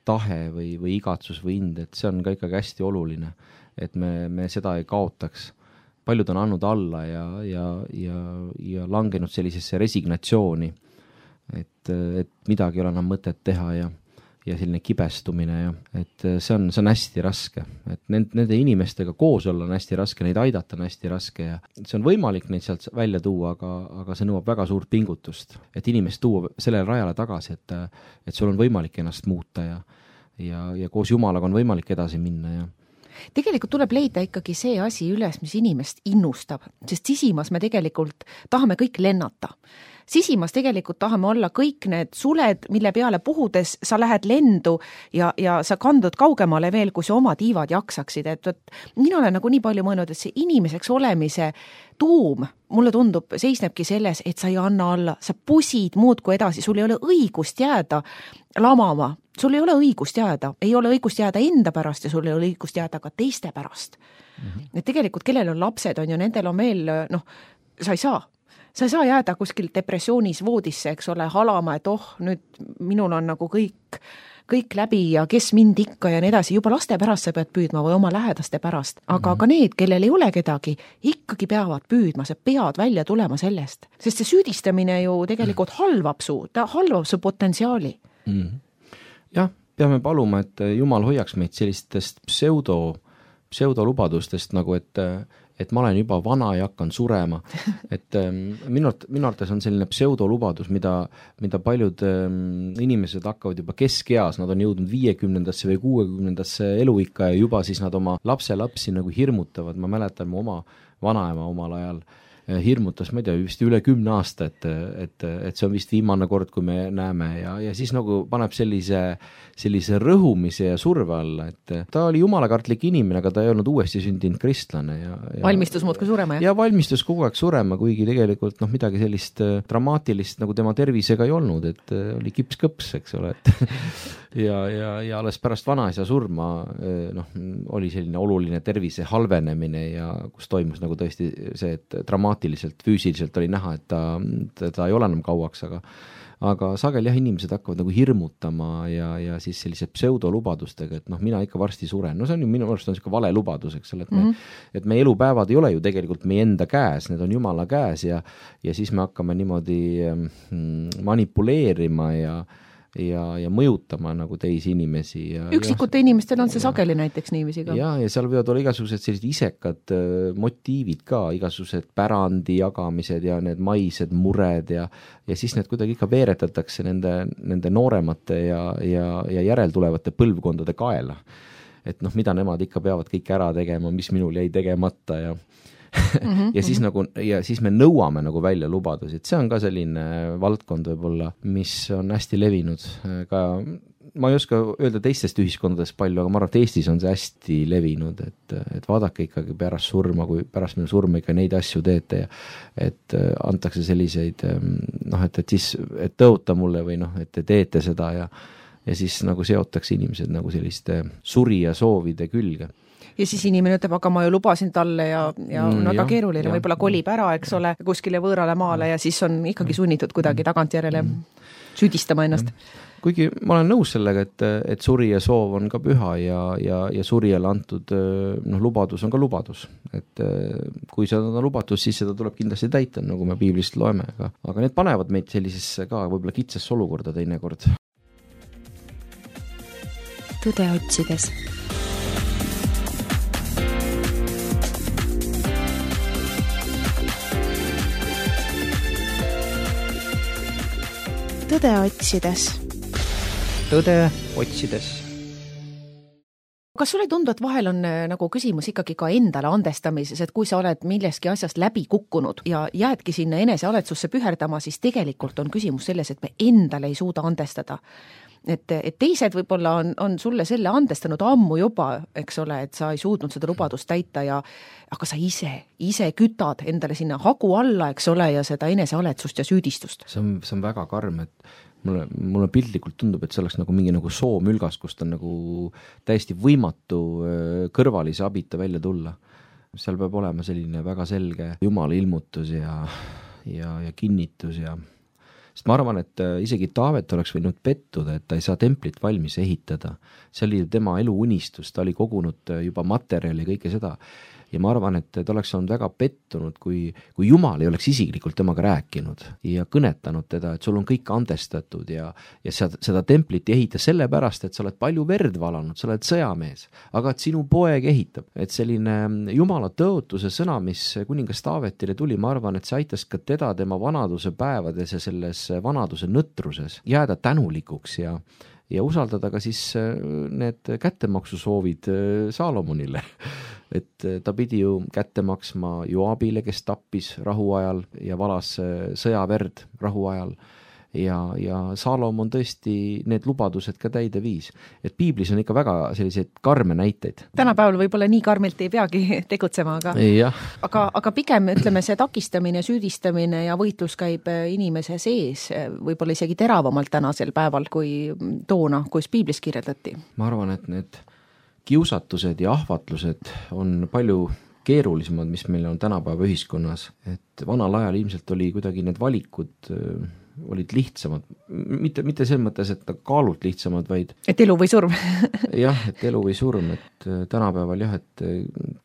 tahe või igatsus või ind, et see on ka ikkagi hästi oluline, et me seda ei kaotaks. Paljud on andnud alla ja langenud sellisesse resignatsiooni, et midagi ei ole enam mõtet teha ja selline kibestumine ja et see on hästi raske, et nende inimestega koos olla on hästi raske, neid aidata on hästi raske ja see on võimalik neid sealt välja tuua, aga see nõuab väga suurt pingutust, et inimest tuua sellele rajale tagasi, et sul on võimalik ennast muuta ja koos Jumalaga on võimalik edasi minna ja tegelikult tuleb leida ikkagi see asi üles, mis inimest innustab, sest sisimas me tegelikult tahame kõik lennata. Sisimas tegelikult tahame olla kõik need suled, mille peale puhudes sa lähed lendu ja sa kandud kaugemale veel, kui sa oma tiivad jaksaksid. Et mina olen nagu nii palju mõelnud, et see inimeseks olemise tuum, mulle tundub, seisnebki selles, et sa ei anna alla, sa pusid muudkui edasi, sul ei ole õigust jääda lamama, sul ei ole õigust jääda enda pärast ja sul ei ole õigust jääda ka teiste pärast. Et tegelikult, kellel on lapsed, on ju, nendel on veel, sa ei saa jääda kuskil depressioonis voodisse, eks ole, halama, et nüüd minul on nagu kõik läbi ja kes mind ikka ja nii edasi, juba laste pärast sa pead püüdma või oma lähedaste pärast, aga ka need, kellel ei ole kedagi, ikkagi peavad püüdma, sa pead välja tulema sellest, sest see süüdistamine ju tegelikult halvab su potentsiaali. Jah, peame paluma, et Jumal hoiaks meid sellistest pseudolubadustest nagu, et ma olen juba vana ja hakkan surema. Et minu arvates on selline pseudolubadus, mida paljud inimesed hakkavad juba keskeas, nad on jõudnud 50-ndasse või 60-ndasse eluikka ja juba siis nad oma lapsi nagu hirmutavad. Ma mäletan mu oma vanaema omal ajal hirmutas, ma ei tea, vist üle 10 aasta, et see on vist viimane kord, kui me näeme ja siis nagu paneb sellise rõhumise ja surve alla, et ta oli jumalakartlik inimene, aga ta ei olnud uuesti sündinud kristlane. Valmistus muudkui surema, jah? Ja valmistus kogu aeg surema, kuigi tegelikult midagi sellist dramaatilist nagu tema tervisega ei olnud, et oli kips-kõps, eks ole, ja alles pärast vanaisa surma oli selline oluline tervise halvenemine ja kus toimus nagu tõesti see, et dramaatiliselt, füüsiliselt oli näha, et ta ei ole enam kauaks, aga sageli jah, inimesed hakkavad nagu hirmutama ja siis sellise pseudolubadustega, et mina ikka varsti suren. No see on ju minu arust on selline vale lubadus, eks ole, et me elupäevad ei ole ju tegelikult meie enda käes, need on Jumala käes ja siis me hakkame niimoodi manipuleerima ja mõjutama nagu teisi inimesi. Üksikute inimestel on see sageli näiteks niiviisi ka. Ja seal võivad olla igasugused sellised isekad motiivid ka, igasugused pärandi jagamised ja need maised mured ja siis need kuidagi ikka veeretatakse nende nooremate ja järeltulevate põlvkondade kaela. Et mida nemad ikka peavad kõik ära tegema, mis minul jäi tegemata ja ja siis me nõuame nagu välja lubadusi, et see on ka selline valdkond võib-olla, mis on hästi levinud ka, ma ei oska öelda teistest ühiskondadest palju, aga ma arvan, et Eestis on see hästi levinud, et vaadake ikkagi pärast surma, kui pärast minu surma ikka neid asju teete ja et antakse selliseid et tõota mulle või et te teete seda ja siis nagu seotakse inimesed nagu selliste surija soovide külge. Ja siis inimene ütleb, aga ma ju lubasin talle ja väga keeruline, võib-olla kolib ära, eks ole, kuskile võõrale maale ja siis on ikkagi sunnitud kuidagi tagantjärele süüdistama ennast. Kuigi ma olen nõus sellega, et surija soov on ka püha ja surijale antud lubadus on ka lubadus. Et kui seda on lubatus, siis seda tuleb kindlasti täita, nagu me piiblist loeme. Aga need panevad meid sellisesse ka võib-olla kitsesse olukorda teinekord. Tõde otsides. Tõde otsides. Tõde otsides. Kas sulle ei tundu, et vahel on nagu küsimus ikkagi ka endale andestamises, et kui sa oled milleski asjast läbi kukkunud ja jäädki sinna enesealetsusse püherdama, siis tegelikult on küsimus selles, et me endale ei suuda andestada. Et teised võib-olla on sulle selle andestanud ammu juba, eks ole, et sa ei suutnud seda lubadust täita aga sa ise kütad endale sinna hagu alla, eks ole, ja seda enesealetsust ja süüdistust. See on väga karm, et mulle piltlikult tundub, et see oleks nagu mingi nagu soomülgas, kust on nagu täiesti võimatu kõrvalise abita välja tulla. Seal peab olema selline väga selge Jumala ilmutus ja kinnitus ja sest ma arvan, et isegi Taavet oleks võinud pettuda, et ta ei saa templit valmis ehitada. See oli tema elu unistus, ta oli kogunud juba materjali ja kõike seda. Ja ma arvan, et ta oleks olnud väga pettunud, kui Jumal ei oleks isiklikult temaga rääkinud ja kõnetanud teda, et sul on kõik andestatud ja seda templit ei ehita sellepärast, et sa oled palju verd valanud, sa oled sõjamees, aga et sinu poeg ehitab. Et selline Jumala tõotuse sõna, mis kuningas Taavetile tuli, ma arvan, et see aitas ka teda tema vanaduse päevades ja selles vanaduse nõtruses jääda tänulikuks ja usaldada ka siis need kättemaksusoovid Saalomonile. Et ta pidi ju kätte maksma Joabile, kes tappis rahuajal ja valas sõjaverd rahuajal ja Saalomon tõesti need lubadused ka täide viis. Et piiblis on ikka väga selliseid karme näiteid. Tänapäeval võib-olla nii karmilt ei peagi tegutsema, aga pigem ütleme see takistamine, süüdistamine ja võitlus käib inimese sees võib-olla isegi teravamalt tänasel päeval kui toona, kus piiblis kirjeldati. Ma arvan, et need kiusatused ja ahvatlused on palju keerulisemad, mis meil on tänapäeva ühiskonnas. Et vanal ajal ilmselt oli kuidagi need valikud olid lihtsamad. Mitte selles mõttes, et kaalult lihtsamad, vaid et elu või surm. jah, et elu või surm, et tänapäeval jah, et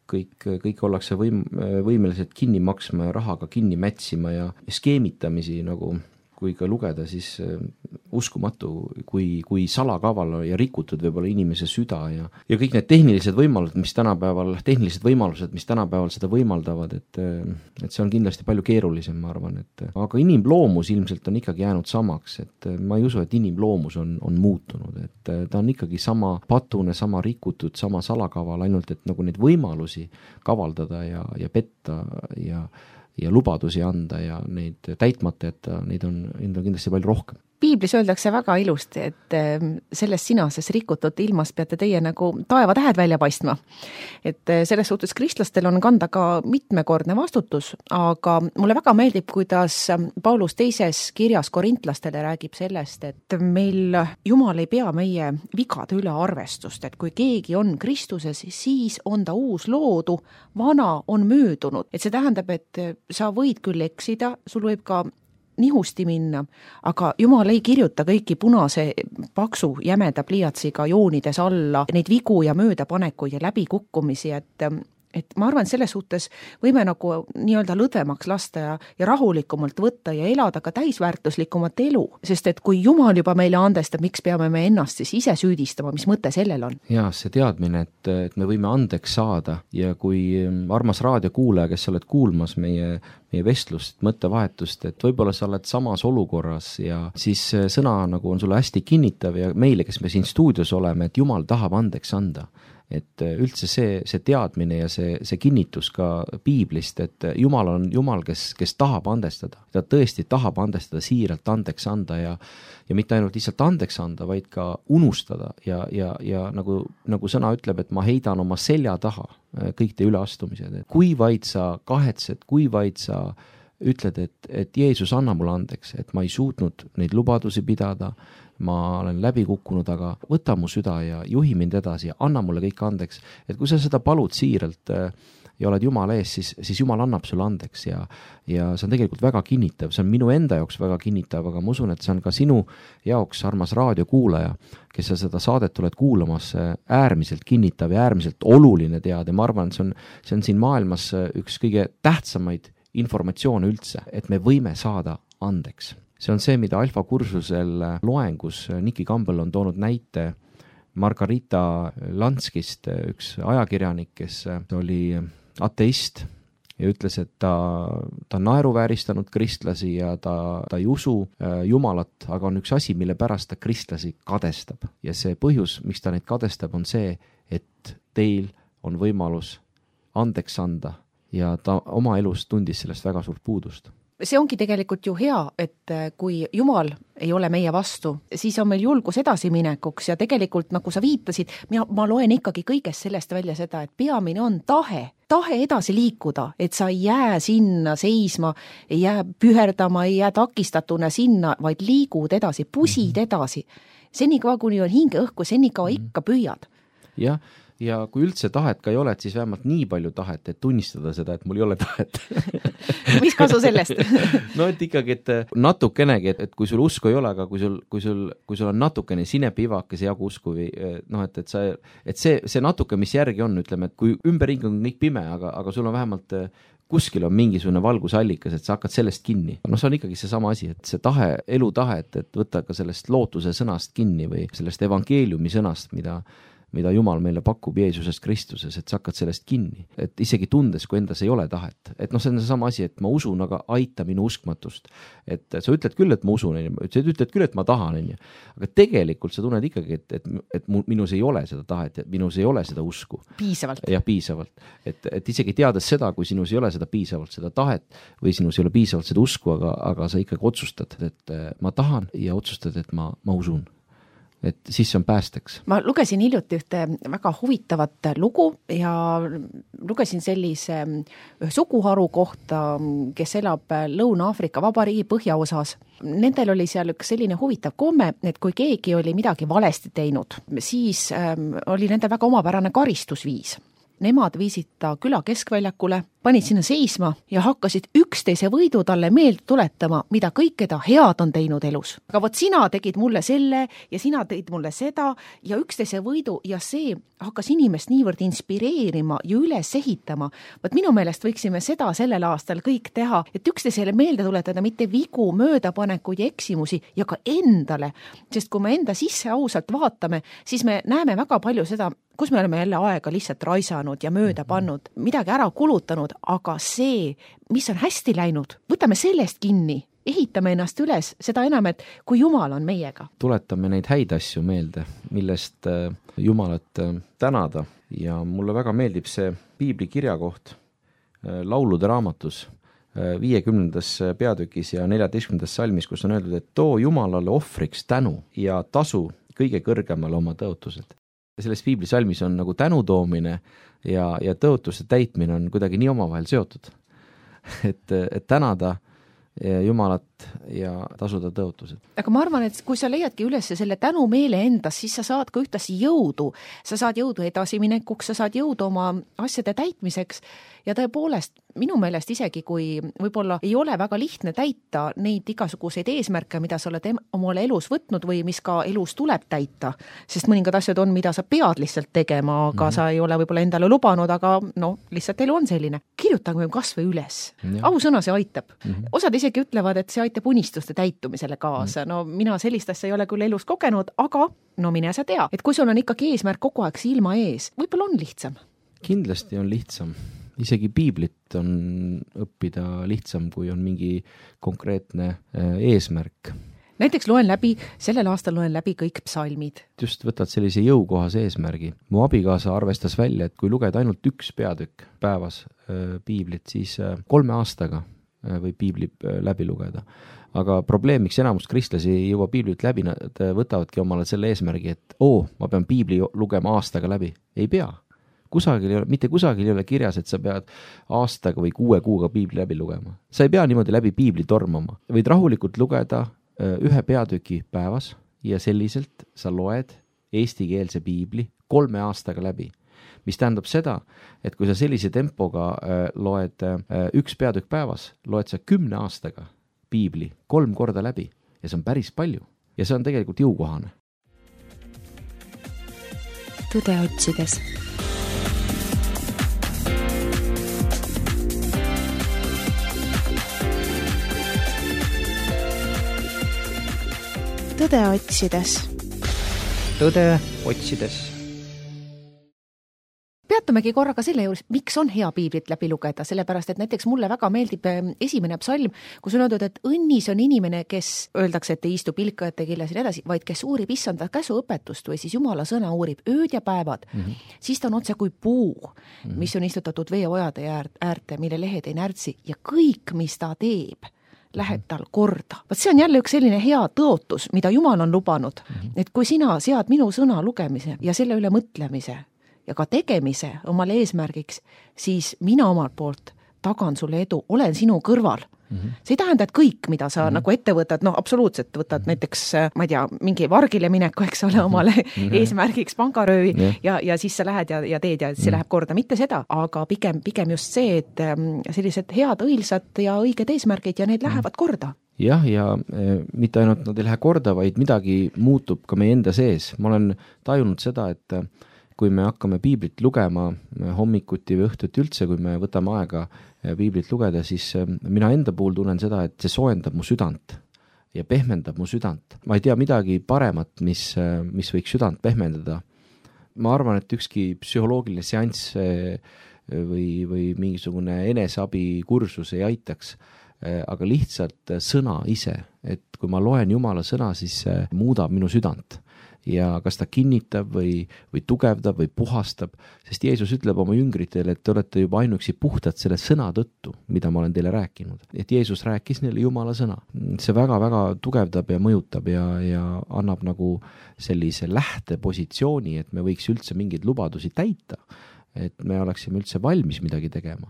kõik ollakse võimelised kinni maksma ja rahaga kinni mätsima ja skeemitamisi nagu kui ka lugeda, siis uskumatu, kui salakaval ja rikutud võib-olla inimese süda ja kõik need tehnilised võimalused, mis tänapäeval seda võimaldavad, et see on kindlasti palju keerulisem, ma arvan, aga inimloomus ilmselt on ikkagi jäänud samaks, et ma ei usu, et inimloomus on muutunud, et ta on ikkagi sama patune, sama rikutud, sama salakaval, ainult et nagu neid võimalusi kavaldada ja petta ja lubadusi anda ja neid täitmata, et neid on kindlasti palju rohkem. Piiblis öeldakse väga ilusti, et selles sinases rikutud ilmas peate teie nagu taevatähed välja paistma. Et selles suhtes kristlastel on kanda ka mitmekordne vastutus, aga mulle väga meeldib, kuidas Paulus teises kirjas korintlastele räägib sellest, et meil Jumal ei pea meie vigade üle arvestust, et kui keegi on Kristuses, siis on ta uus loodu, vana on möödunud. Et see tähendab, et sa võid küll eksida, sul võib ka nihusti minna, aga Jumal ei kirjuta kõiki punase paksu jämeda pliiatsiga joonides alla neid vigu ja möödapanekuid ja läbikukkumisi, et ma arvan, selles suhtes võime nagu nii-öelda lõdvemaks lasta ja rahulikumalt võtta ja elada ka täisväärtuslikumat elu, sest et kui Jumal juba meile andestab, miks peame me ennast siis ise süüdistama, mis mõte sellel on? Jaa, see teadmine, et me võime andeks saada ja kui armas raadiokuulaja, kes sa oled kuulmas meie vestlust, mõttevahetust, et võib-olla sa oled samas olukorras ja siis sõna nagu on sulle hästi kinnitav ja meile, kes me siin stuudios oleme, et Jumal tahab andeks anda. Et üldse see teadmine ja see kinnitus ka piiblist, et Jumal on Jumal, kes tahab andestada. Ta tõesti tahab andestada, siiralt andeks anda ja mitte ainult lihtsalt andeks anda, vaid ka unustada ja nagu sõna ütleb, et ma heidan oma selja taha kõik te üleastumised. Kui vaid sa kahetsed, kui vaid sa ütled, et Jeesus anna mulle andeks, et ma ei suutnud neid lubadusi pidada, ma olen läbi kukkunud, aga võta mu süda ja juhi mind edasi ja anna mulle kõik andeks. Et kui sa seda palud siiralt ja oled Jumala ees, siis Jumal annab sulle andeks ja see on tegelikult väga kinnitav. See on minu enda jaoks väga kinnitav, aga ma usun, et see on ka sinu jaoks, armas raadiokuulaja, kes sa seda saadet oled kuulamas, äärmiselt kinnitav ja äärmiselt oluline teada. Ma arvan, see on siin maailmas üks kõige tähtsamaid informatsioone üldse, et me võime saada andeks. See on see, mida Alfa kursusel loengus Niki Campbell on toonud näite Margarita Lanskist, üks ajakirjanik, kes oli ateist ja ütles, et ta naeruvääristanud kristlasi ja ta ei usu Jumalat, aga on üks asi, mille pärast ta kristlasi kadestab. Ja see põhjus, miks ta neid kadestab, on see, et teil on võimalus andeks anda ja ta oma elus tundis sellest väga suurt puudust. see ongi tegelikult ju hea, et kui Jumal ei ole meie vastu, siis on meil julgus edasiminekuks ja tegelikult, nagu sa viitasid, ma loen ikkagi kõigest sellest välja seda, et peamine on tahe edasi liikuda, et sa ei jää sinna seisma, ei jää püherdama, ei jää takistatuna sinna, vaid liigud edasi, pusid edasi. Senikaua, kuni on hingeõhku, senikaua ikka püüad. Jah, ja kui üldse tahet ka ei ole, et siis vähemalt nii palju tahet, et tunnistada seda, et mul ei ole tahet. Mis kasu sellest? No et ikkagi, et natukenegi, et kui sul usku ei ole, aga kui sul on natukene sinepivakese jagu usku või noh, et see natuke, mis järgi on, ütleme, et kui ümberring on kõik pime, aga sul on vähemalt kuskil on mingisugune valgusallikas, et sa hakkad sellest kinni. No see on ikkagi see sama asi, et see tahe, elutahe, et võtta ka sellest lootuse sõnast kinni või sellest evangeeliumi sõnast, mida Jumal meile pakub Jeesuses Kristuses, et sa hakkad sellest kinni. Et isegi tundes, kui endas ei ole tahet. Et noh, see on see sama asi, et ma usun, aga aita minu uskmatust. Et sa ütled küll, et ma usun, sa ütled küll, et ma tahan, aga tegelikult sa tunned ikkagi, et minus ei ole seda tahet, et minus ei ole seda usku. Piisavalt. Jah, piisavalt. Et isegi teades seda, kui sinus ei ole seda piisavalt, seda tahet või sinus ei ole piisavalt seda usku, aga sa ikkagi otsustad, et ma tahan ja otsustad, et ma usun. Et siis on päästeks. Ma lugesin hiljuti ühte väga huvitavat lugu ja lugesin sellise suguharu kohta, kes elab Lõuna-Aafrika Vabariigi põhjaosas. Nendel oli seal üks selline huvitav komme, et kui keegi oli midagi valesti teinud, siis oli nendel väga omapärane karistusviis. Nemad viisid ta küla keskväljakule, panid sinna seisma ja hakkasid üksteise võidu talle meelde tuletama, mida kõike ta head on teinud elus. Aga vot sina tegid mulle selle ja sina tegid mulle seda ja üksteise võidu ja see hakkas inimest niivõrd inspireerima ja üles ehitama. Vot minu meelest võiksime seda sellel aastal kõik teha, et üksteisele meelde tuletada mitte vigu, möödapanekuid ja eksimusi ja ka endale. Sest kui me enda sisse ausalt vaatame, siis me näeme väga palju seda, kus me oleme jälle aega lihtsalt raisanud ja mööda pannud, midagi ära kulutanud, aga see, mis on hästi läinud, võtame sellest kinni, ehitame ennast üles, seda enam, et kui Jumal on meiega. Tuletame neid häid asju meelde, millest Jumalat tänada ja mulle väga meeldib see piibli kirjakoht laulude raamatus 50. peatükis ja 14. salmis, kus on öeldud, et too Jumalale ohvriks tänu ja tasu kõige kõrgemale oma tõotused. Selles piiblisalmis on nagu tänutoomine ja tõotuste täitmine on kuidagi nii omavahel seotud. Et tänada Jumalat ja tasuda tõotused. Aga ma arvan, et kui sa leiadki üles selle tänumeele endas, siis sa saad ka ühtasi jõudu. Sa saad jõudu edasiminekuks, sa saad jõudu oma asjade täitmiseks ja tõepoolest minu meelest isegi, kui võib-olla ei ole väga lihtne täita neid igasuguseid eesmärke, mida sa oled omale elus võtnud või mis ka elus tuleb täita, sest mõningad asjad on, mida sa pead lihtsalt tegema, aga sa ei ole võib-olla endale lubanud, aga no, lihtsalt elu on selline. Kirjutame kas või üles. Ausõna see aitab. Osad isegi ütlevad, et see aitab unistuste täitumisele kaasa. No mina sellist asja ei ole küll elus kogenud, aga no mine sa tea, et kui sul on ikkagi eesmärk kogu aeg silma ees, võib-olla on lihtsam. Kindlasti on lihtsam. Isegi piiblit on õppida lihtsam, kui on mingi konkreetne eesmärk. Näiteks sellel aastal loen läbi kõik psalmid. Just võtad sellise jõukohase eesmärgi. Mu abikaasa arvestas välja, et kui lugeda ainult üks peatükk päevas piiblit, siis 3 aastaga võib piibli läbi lugeda. Aga probleem, miks enamus kristlasi ei jõua piiblit läbi, nad võtavadki omale selle eesmärgi, et ma pean piibli lugema aastaga läbi. Ei pea. Mitte kusagil ei ole kirjas, et sa pead aastaga või 6 kuuga piibli läbi lugema. Sa ei pea niimoodi läbi piibli tormama. Võid rahulikult lugeda 1 peatüki päevas ja selliselt sa loed eestikeelse piibli 3 aastaga läbi. Mis tähendab seda, et kui sa sellise tempoga loed 1 peatükk päevas, loed sa 10 aastaga piibli 3 korda läbi ja see on päris palju ja see on tegelikult jõukohane. Tõde otsides. Tõde otsides. Tõde otsides. Peatumegi korraga selle juures, miks on hea piiblit läbi lugeda, sellepärast, et näiteks mulle väga meeldib esimene psalm, kus on öeldud, et õnnis on inimene, kes öeldakse, et ei istu pilkajate killes ja edasi, vaid kes uurib issanda käsuõpetust või siis Jumala sõna uurib ööd ja päevad, siis ta on otse kui puu, mis on istutatud veeojade äärte, mille lehed ei närtsi ja kõik, mis ta teeb, lähed tal korda. Vaat see on jälle üks selline hea tõotus, mida Jumal on lubanud, et kui sina sead minu sõna lugemise ja selle üle mõtlemise ja ka tegemise omale eesmärgiks, siis mina omalt poolt tagan sulle edu, olen sinu kõrval. See ei tähenda, et kõik, mida sa nagu ette võtad, absoluutselt võtad näiteks, ma ei tea, mingi vargile mineku, eks ole, omale eesmärgiks pangaröövi ja siis sa lähed ja teed ja see läheb korda. Mitte seda, aga pigem just see, et sellised head, õilsad ja õiged eesmärgid ja need lähevad korda. Jah, ja mitte ainult nad ei lähe korda, vaid midagi muutub ka meie enda sees. Ma olen tajunud seda, et kui me hakkame piiblit lugema hommikuti või õhtuti üldse, kui me võtame aega piiblit lugeda, siis mina enda puhul tunnen seda, et see soojendab mu südant ja pehmendab mu südant. Ma ei tea midagi paremat, mis võiks südant pehmendada. Ma arvan, et ükski psühholoogiline seanss või mingisugune eneseabi kursus ei aitaks, aga lihtsalt sõna ise, et kui ma loen Jumala sõna, siis muudab minu südant. Ja kas ta kinnitab või tugevdab või puhastab, sest Jeesus ütleb oma jüngritele, et te olete juba ainuüksi puhtad selle sõna tõttu, mida ma olen teile rääkinud. Et Jeesus rääkis neile Jumala sõna. See väga-väga tugevdab ja mõjutab ja annab nagu sellise lähtepositsiooni, et me võiks üldse mingeid lubadusi täita, et me oleksime üldse valmis midagi tegema.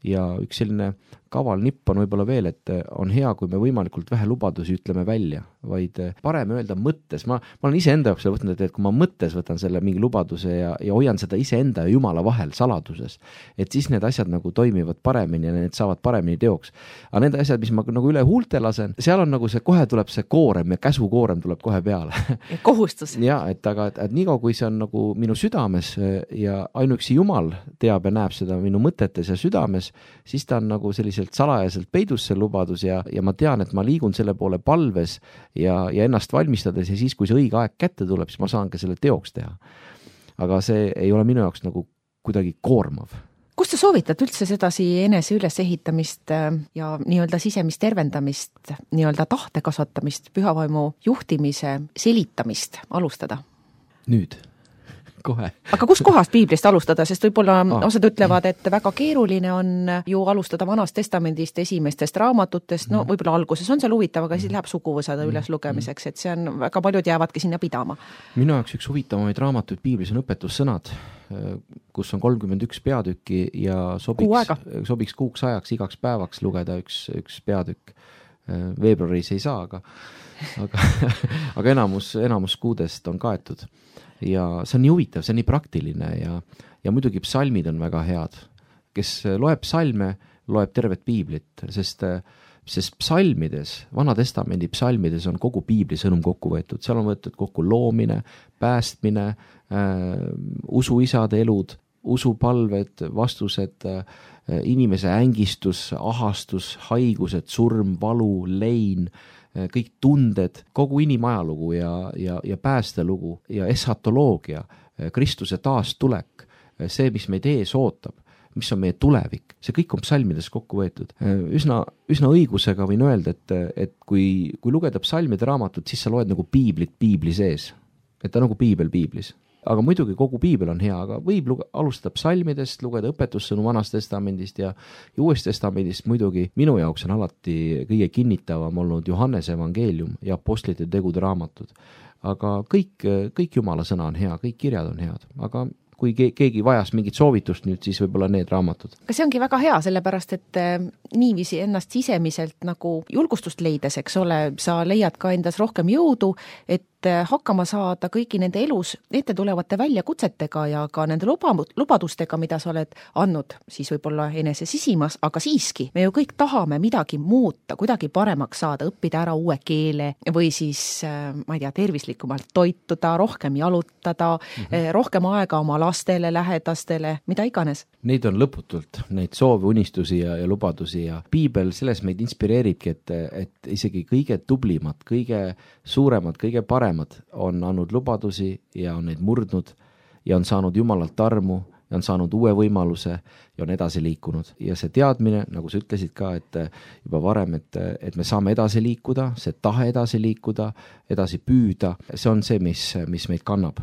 Ja üks selline kaval nipp on võib-olla veel, et on hea, kui me võimalikult vähe lubadusi ütleme välja, vaid parem öelda mõttes. Ma olen ise enda jaoks võtnud, et kui ma mõttes võtan selle mingi lubaduse ja hoian seda iseenda ja Jumala vahel saladuses, et siis need asjad nagu toimivad paremini ja need saavad paremini teoks. Aga need asjad, mis ma nagu üle huulte lasen, seal on nagu see, kohe tuleb see koorem ja käsukoorem tuleb kohe peale. Kohustus. Ja, et niikaua, kui see on nagu minu südames ja ainuüksi Jumal teab ja näeb seda minu mõtetes ja südames, siis ta on nagu selliselt salajaselt peidus see lubadus ja ma tean, et ma liigun selle poole palves ja ennast valmistades ja siis, kui see õige aeg kätte tuleb, siis ma saan ka selle teoks teha. Aga see ei ole minu jaoks nagu kuidagi koormav. Kust sa soovitad üldse sedasi enese ülesehitamist ja nii-öelda sisemist tervendamist, nii-öelda tahte kasvatamist, pühavaimu juhtimise selitamist alustada? Nüüd. Kohe. Aga kus kohast piiblist alustada, sest võib-olla osad ütlevad, et väga keeruline on ju alustada Vanast testamendist, esimestest raamatutest, võib-olla alguses on seal huvitav, aga siis läheb suguvõsada üles lugemiseks, et see on, väga paljud jäävadki sinna pidama. Minu jaoks üks huvitavamaid raamatuid piiblis on õpetussõnad, kus on 31 peatükki ja sobiks kuuks ajaks, igaks päevaks lugeda üks peatükk. Veebruaris ei saa, aga enamus kuudest on kaetud. Ja see on nii huvitav, see on nii praktiline ja muidugi psalmid on väga head. Kes loeb psalme, loeb tervet piiblit, sest psalmides, Vana Testamendi psalmides on kogu piibli sõnum kokku võetud. Seal on võetud kokku loomine, päästmine, usuisade elud, usupalved, vastused, inimese ängistus, ahastus, haigused, surm, valu, lein, kõik tunded, kogu inimajalugu ja päästelugu ja eschatoloogia, Kristuse taastulek, see, mis meid ees ootab, mis on meie tulevik, see kõik on psalmides kokku võetud. Üsna õigusega võin öelda, et kui lugeda psalmide raamatut, siis sa loed nagu piiblit piibli sees, et ta nagu piibel piiblis. Aga muidugi kogu piibel on hea, aga võib alustada psalmidest, lugeda õpetussõnu Vanast testamendist ja Uuest testamendist muidugi. Minu jaoks on alati kõige kinnitavam olnud Johannese evangeelium ja apostlite tegude raamatud. Aga kõik Jumala sõna on hea, kõik kirjad on head, aga kui keegi vajas mingit soovitust nüüd, siis võib-olla need raamatud. Aga see ongi väga hea, sellepärast, et niiviisi ennast sisemiselt nagu julgustust leides, eks ole, sa leiad ka endas rohkem jõudu, et hakkama saada kõigi nende elus ette tulevate väljakutsetega ja ka nende lubadustega, mida sa oled andnud, siis võib-olla enese sisimas, aga siiski, me ju kõik tahame midagi muuta, kuidagi paremaks saada, õppida ära uue keele või siis, ma ei tea, tervislikumalt toituda, rohkem jalutada, rohkem aega oma lastele, lähedastele, mida iganes. Neid on lõputult, neid soove, unistusi ja lubadusi ja piibel selles meid inspireeribki, et isegi kõige tublimad, kõige suuremad, kõige paremad on andnud lubadusi ja on neid murdnud ja on saanud Jumalalt armu ja on saanud uue võimaluse ja on edasi liikunud. Ja see teadmine, nagu sa ütlesid ka, et juba varem, et me saame edasi liikuda, see tahe edasi liikuda, edasi püüda, see on see, mis meid kannab.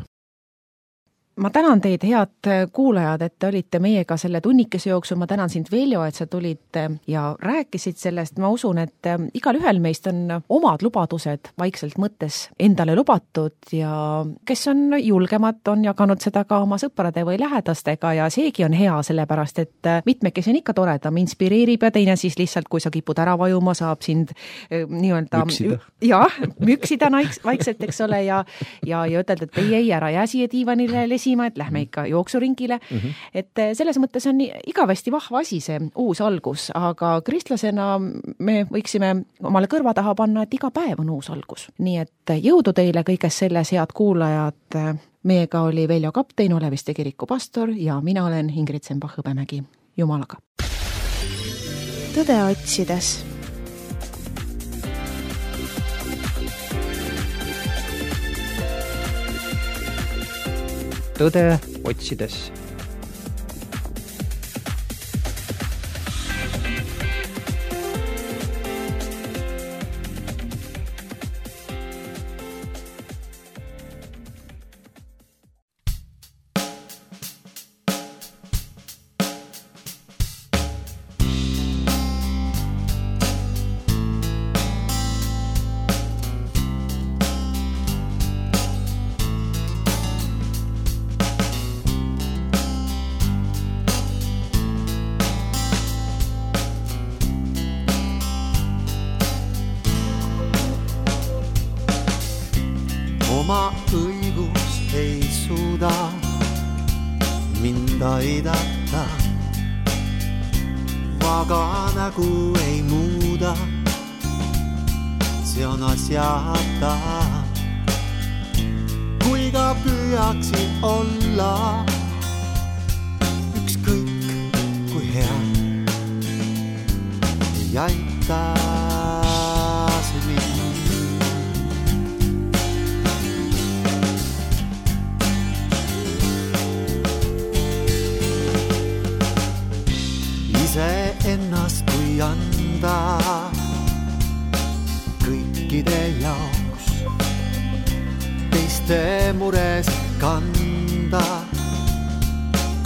ma tänan teid, head kuulajad, et te olite meiega selle tunnikese jooksul, ma tänan sind, Veljo, et sa tulid ja rääkisid sellest, ma usun, et igal ühel meist on omad lubadused vaikselt mõttes endale lubatud ja kes on julgemad, on jaganud seda ka oma sõprade või lähedastega ja seegi on hea, sellepärast et mitmekesi on ikka toredam, inspireerib ja teine siis lihtsalt, kui sa kipud ära vajuma, saab sind nii-öelda müksida vaikselt, eks ole, ja ütelda, et ei, ära jää siia diivanile lesima, et lähme ikka jooksuringile. Et selles mõttes on igavesti vahva asi see uus algus, aga kristlasena me võiksime omale kõrva taha panna, et iga päev on uus algus. Nii et jõudu teile kõiges selles, head kuulajad. Meiega oli Veljo Kaptein, Oleviste kiriku pastor ja mina olen Ingrid Sembach-Hõbemägi. Jumalaga. Tõde otsides. Tõde otsides. Oma õigus ei suuda mind aidata, aga nägu ei muuda, see on asjata. Kui ka püüaksin olla ükskõik kui hea, ei aita see mind. Ise ennast kui anda kõikide jaoks, teiste mures kanda,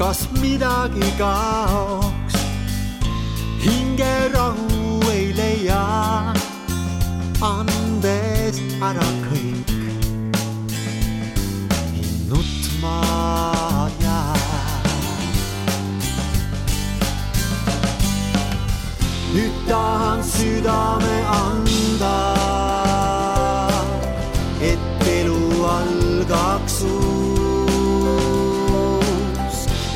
kas midagi kaoks, hinge rahu ei leia, andes ära kõik, nutma jää. Nüüd tahan südame anda, et elu algaks uus,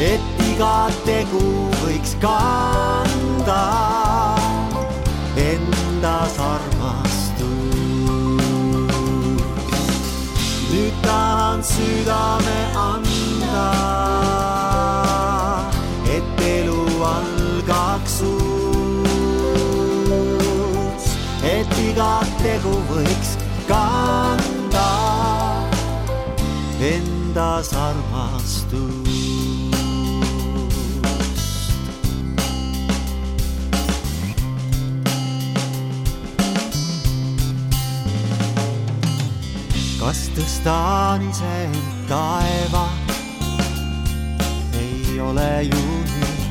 et iga tegu võiks kanda endas armastus. Nüüd tahan südame anda, et elu algaks uus, et iga tegu võiks kanda endas armastust. Kas tõstan ise end taeva, ei ole ju nüüd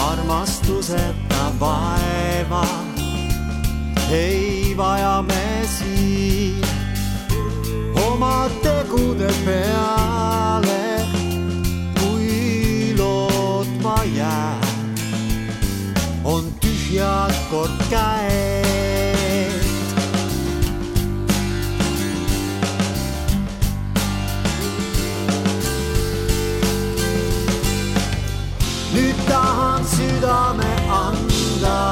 armastuseta vaeva. Ei vaja me siin oma tegude peale, kui lootma jää, on tühjad kord käed. Nüüd tahan südame anda,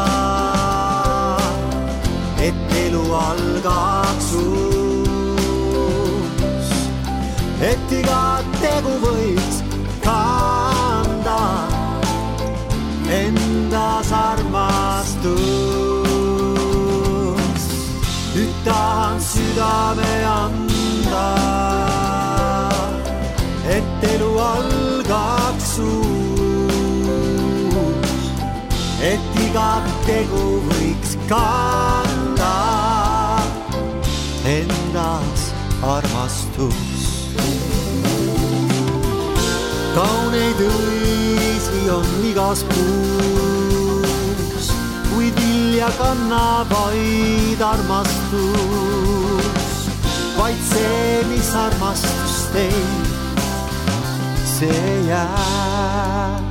et elu algaks uus, et iga tegu võiks kanda endas armastus. Nüüd tahan südame anda, et elu algaks uus, et iga tegu võiks kanda endas armastus. Kauneid õisi on igas puus, kuid vilja kannab vaid armastus. Vaid see, mis armastust teeb, see jääb.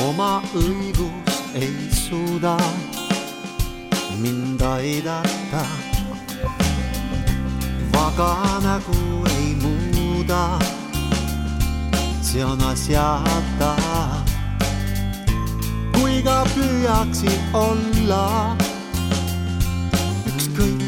Oma õigus ei suuda mind aidata, vaga nägu ei muuda, see on asjata. Kui ka püüaksin olla ükskõik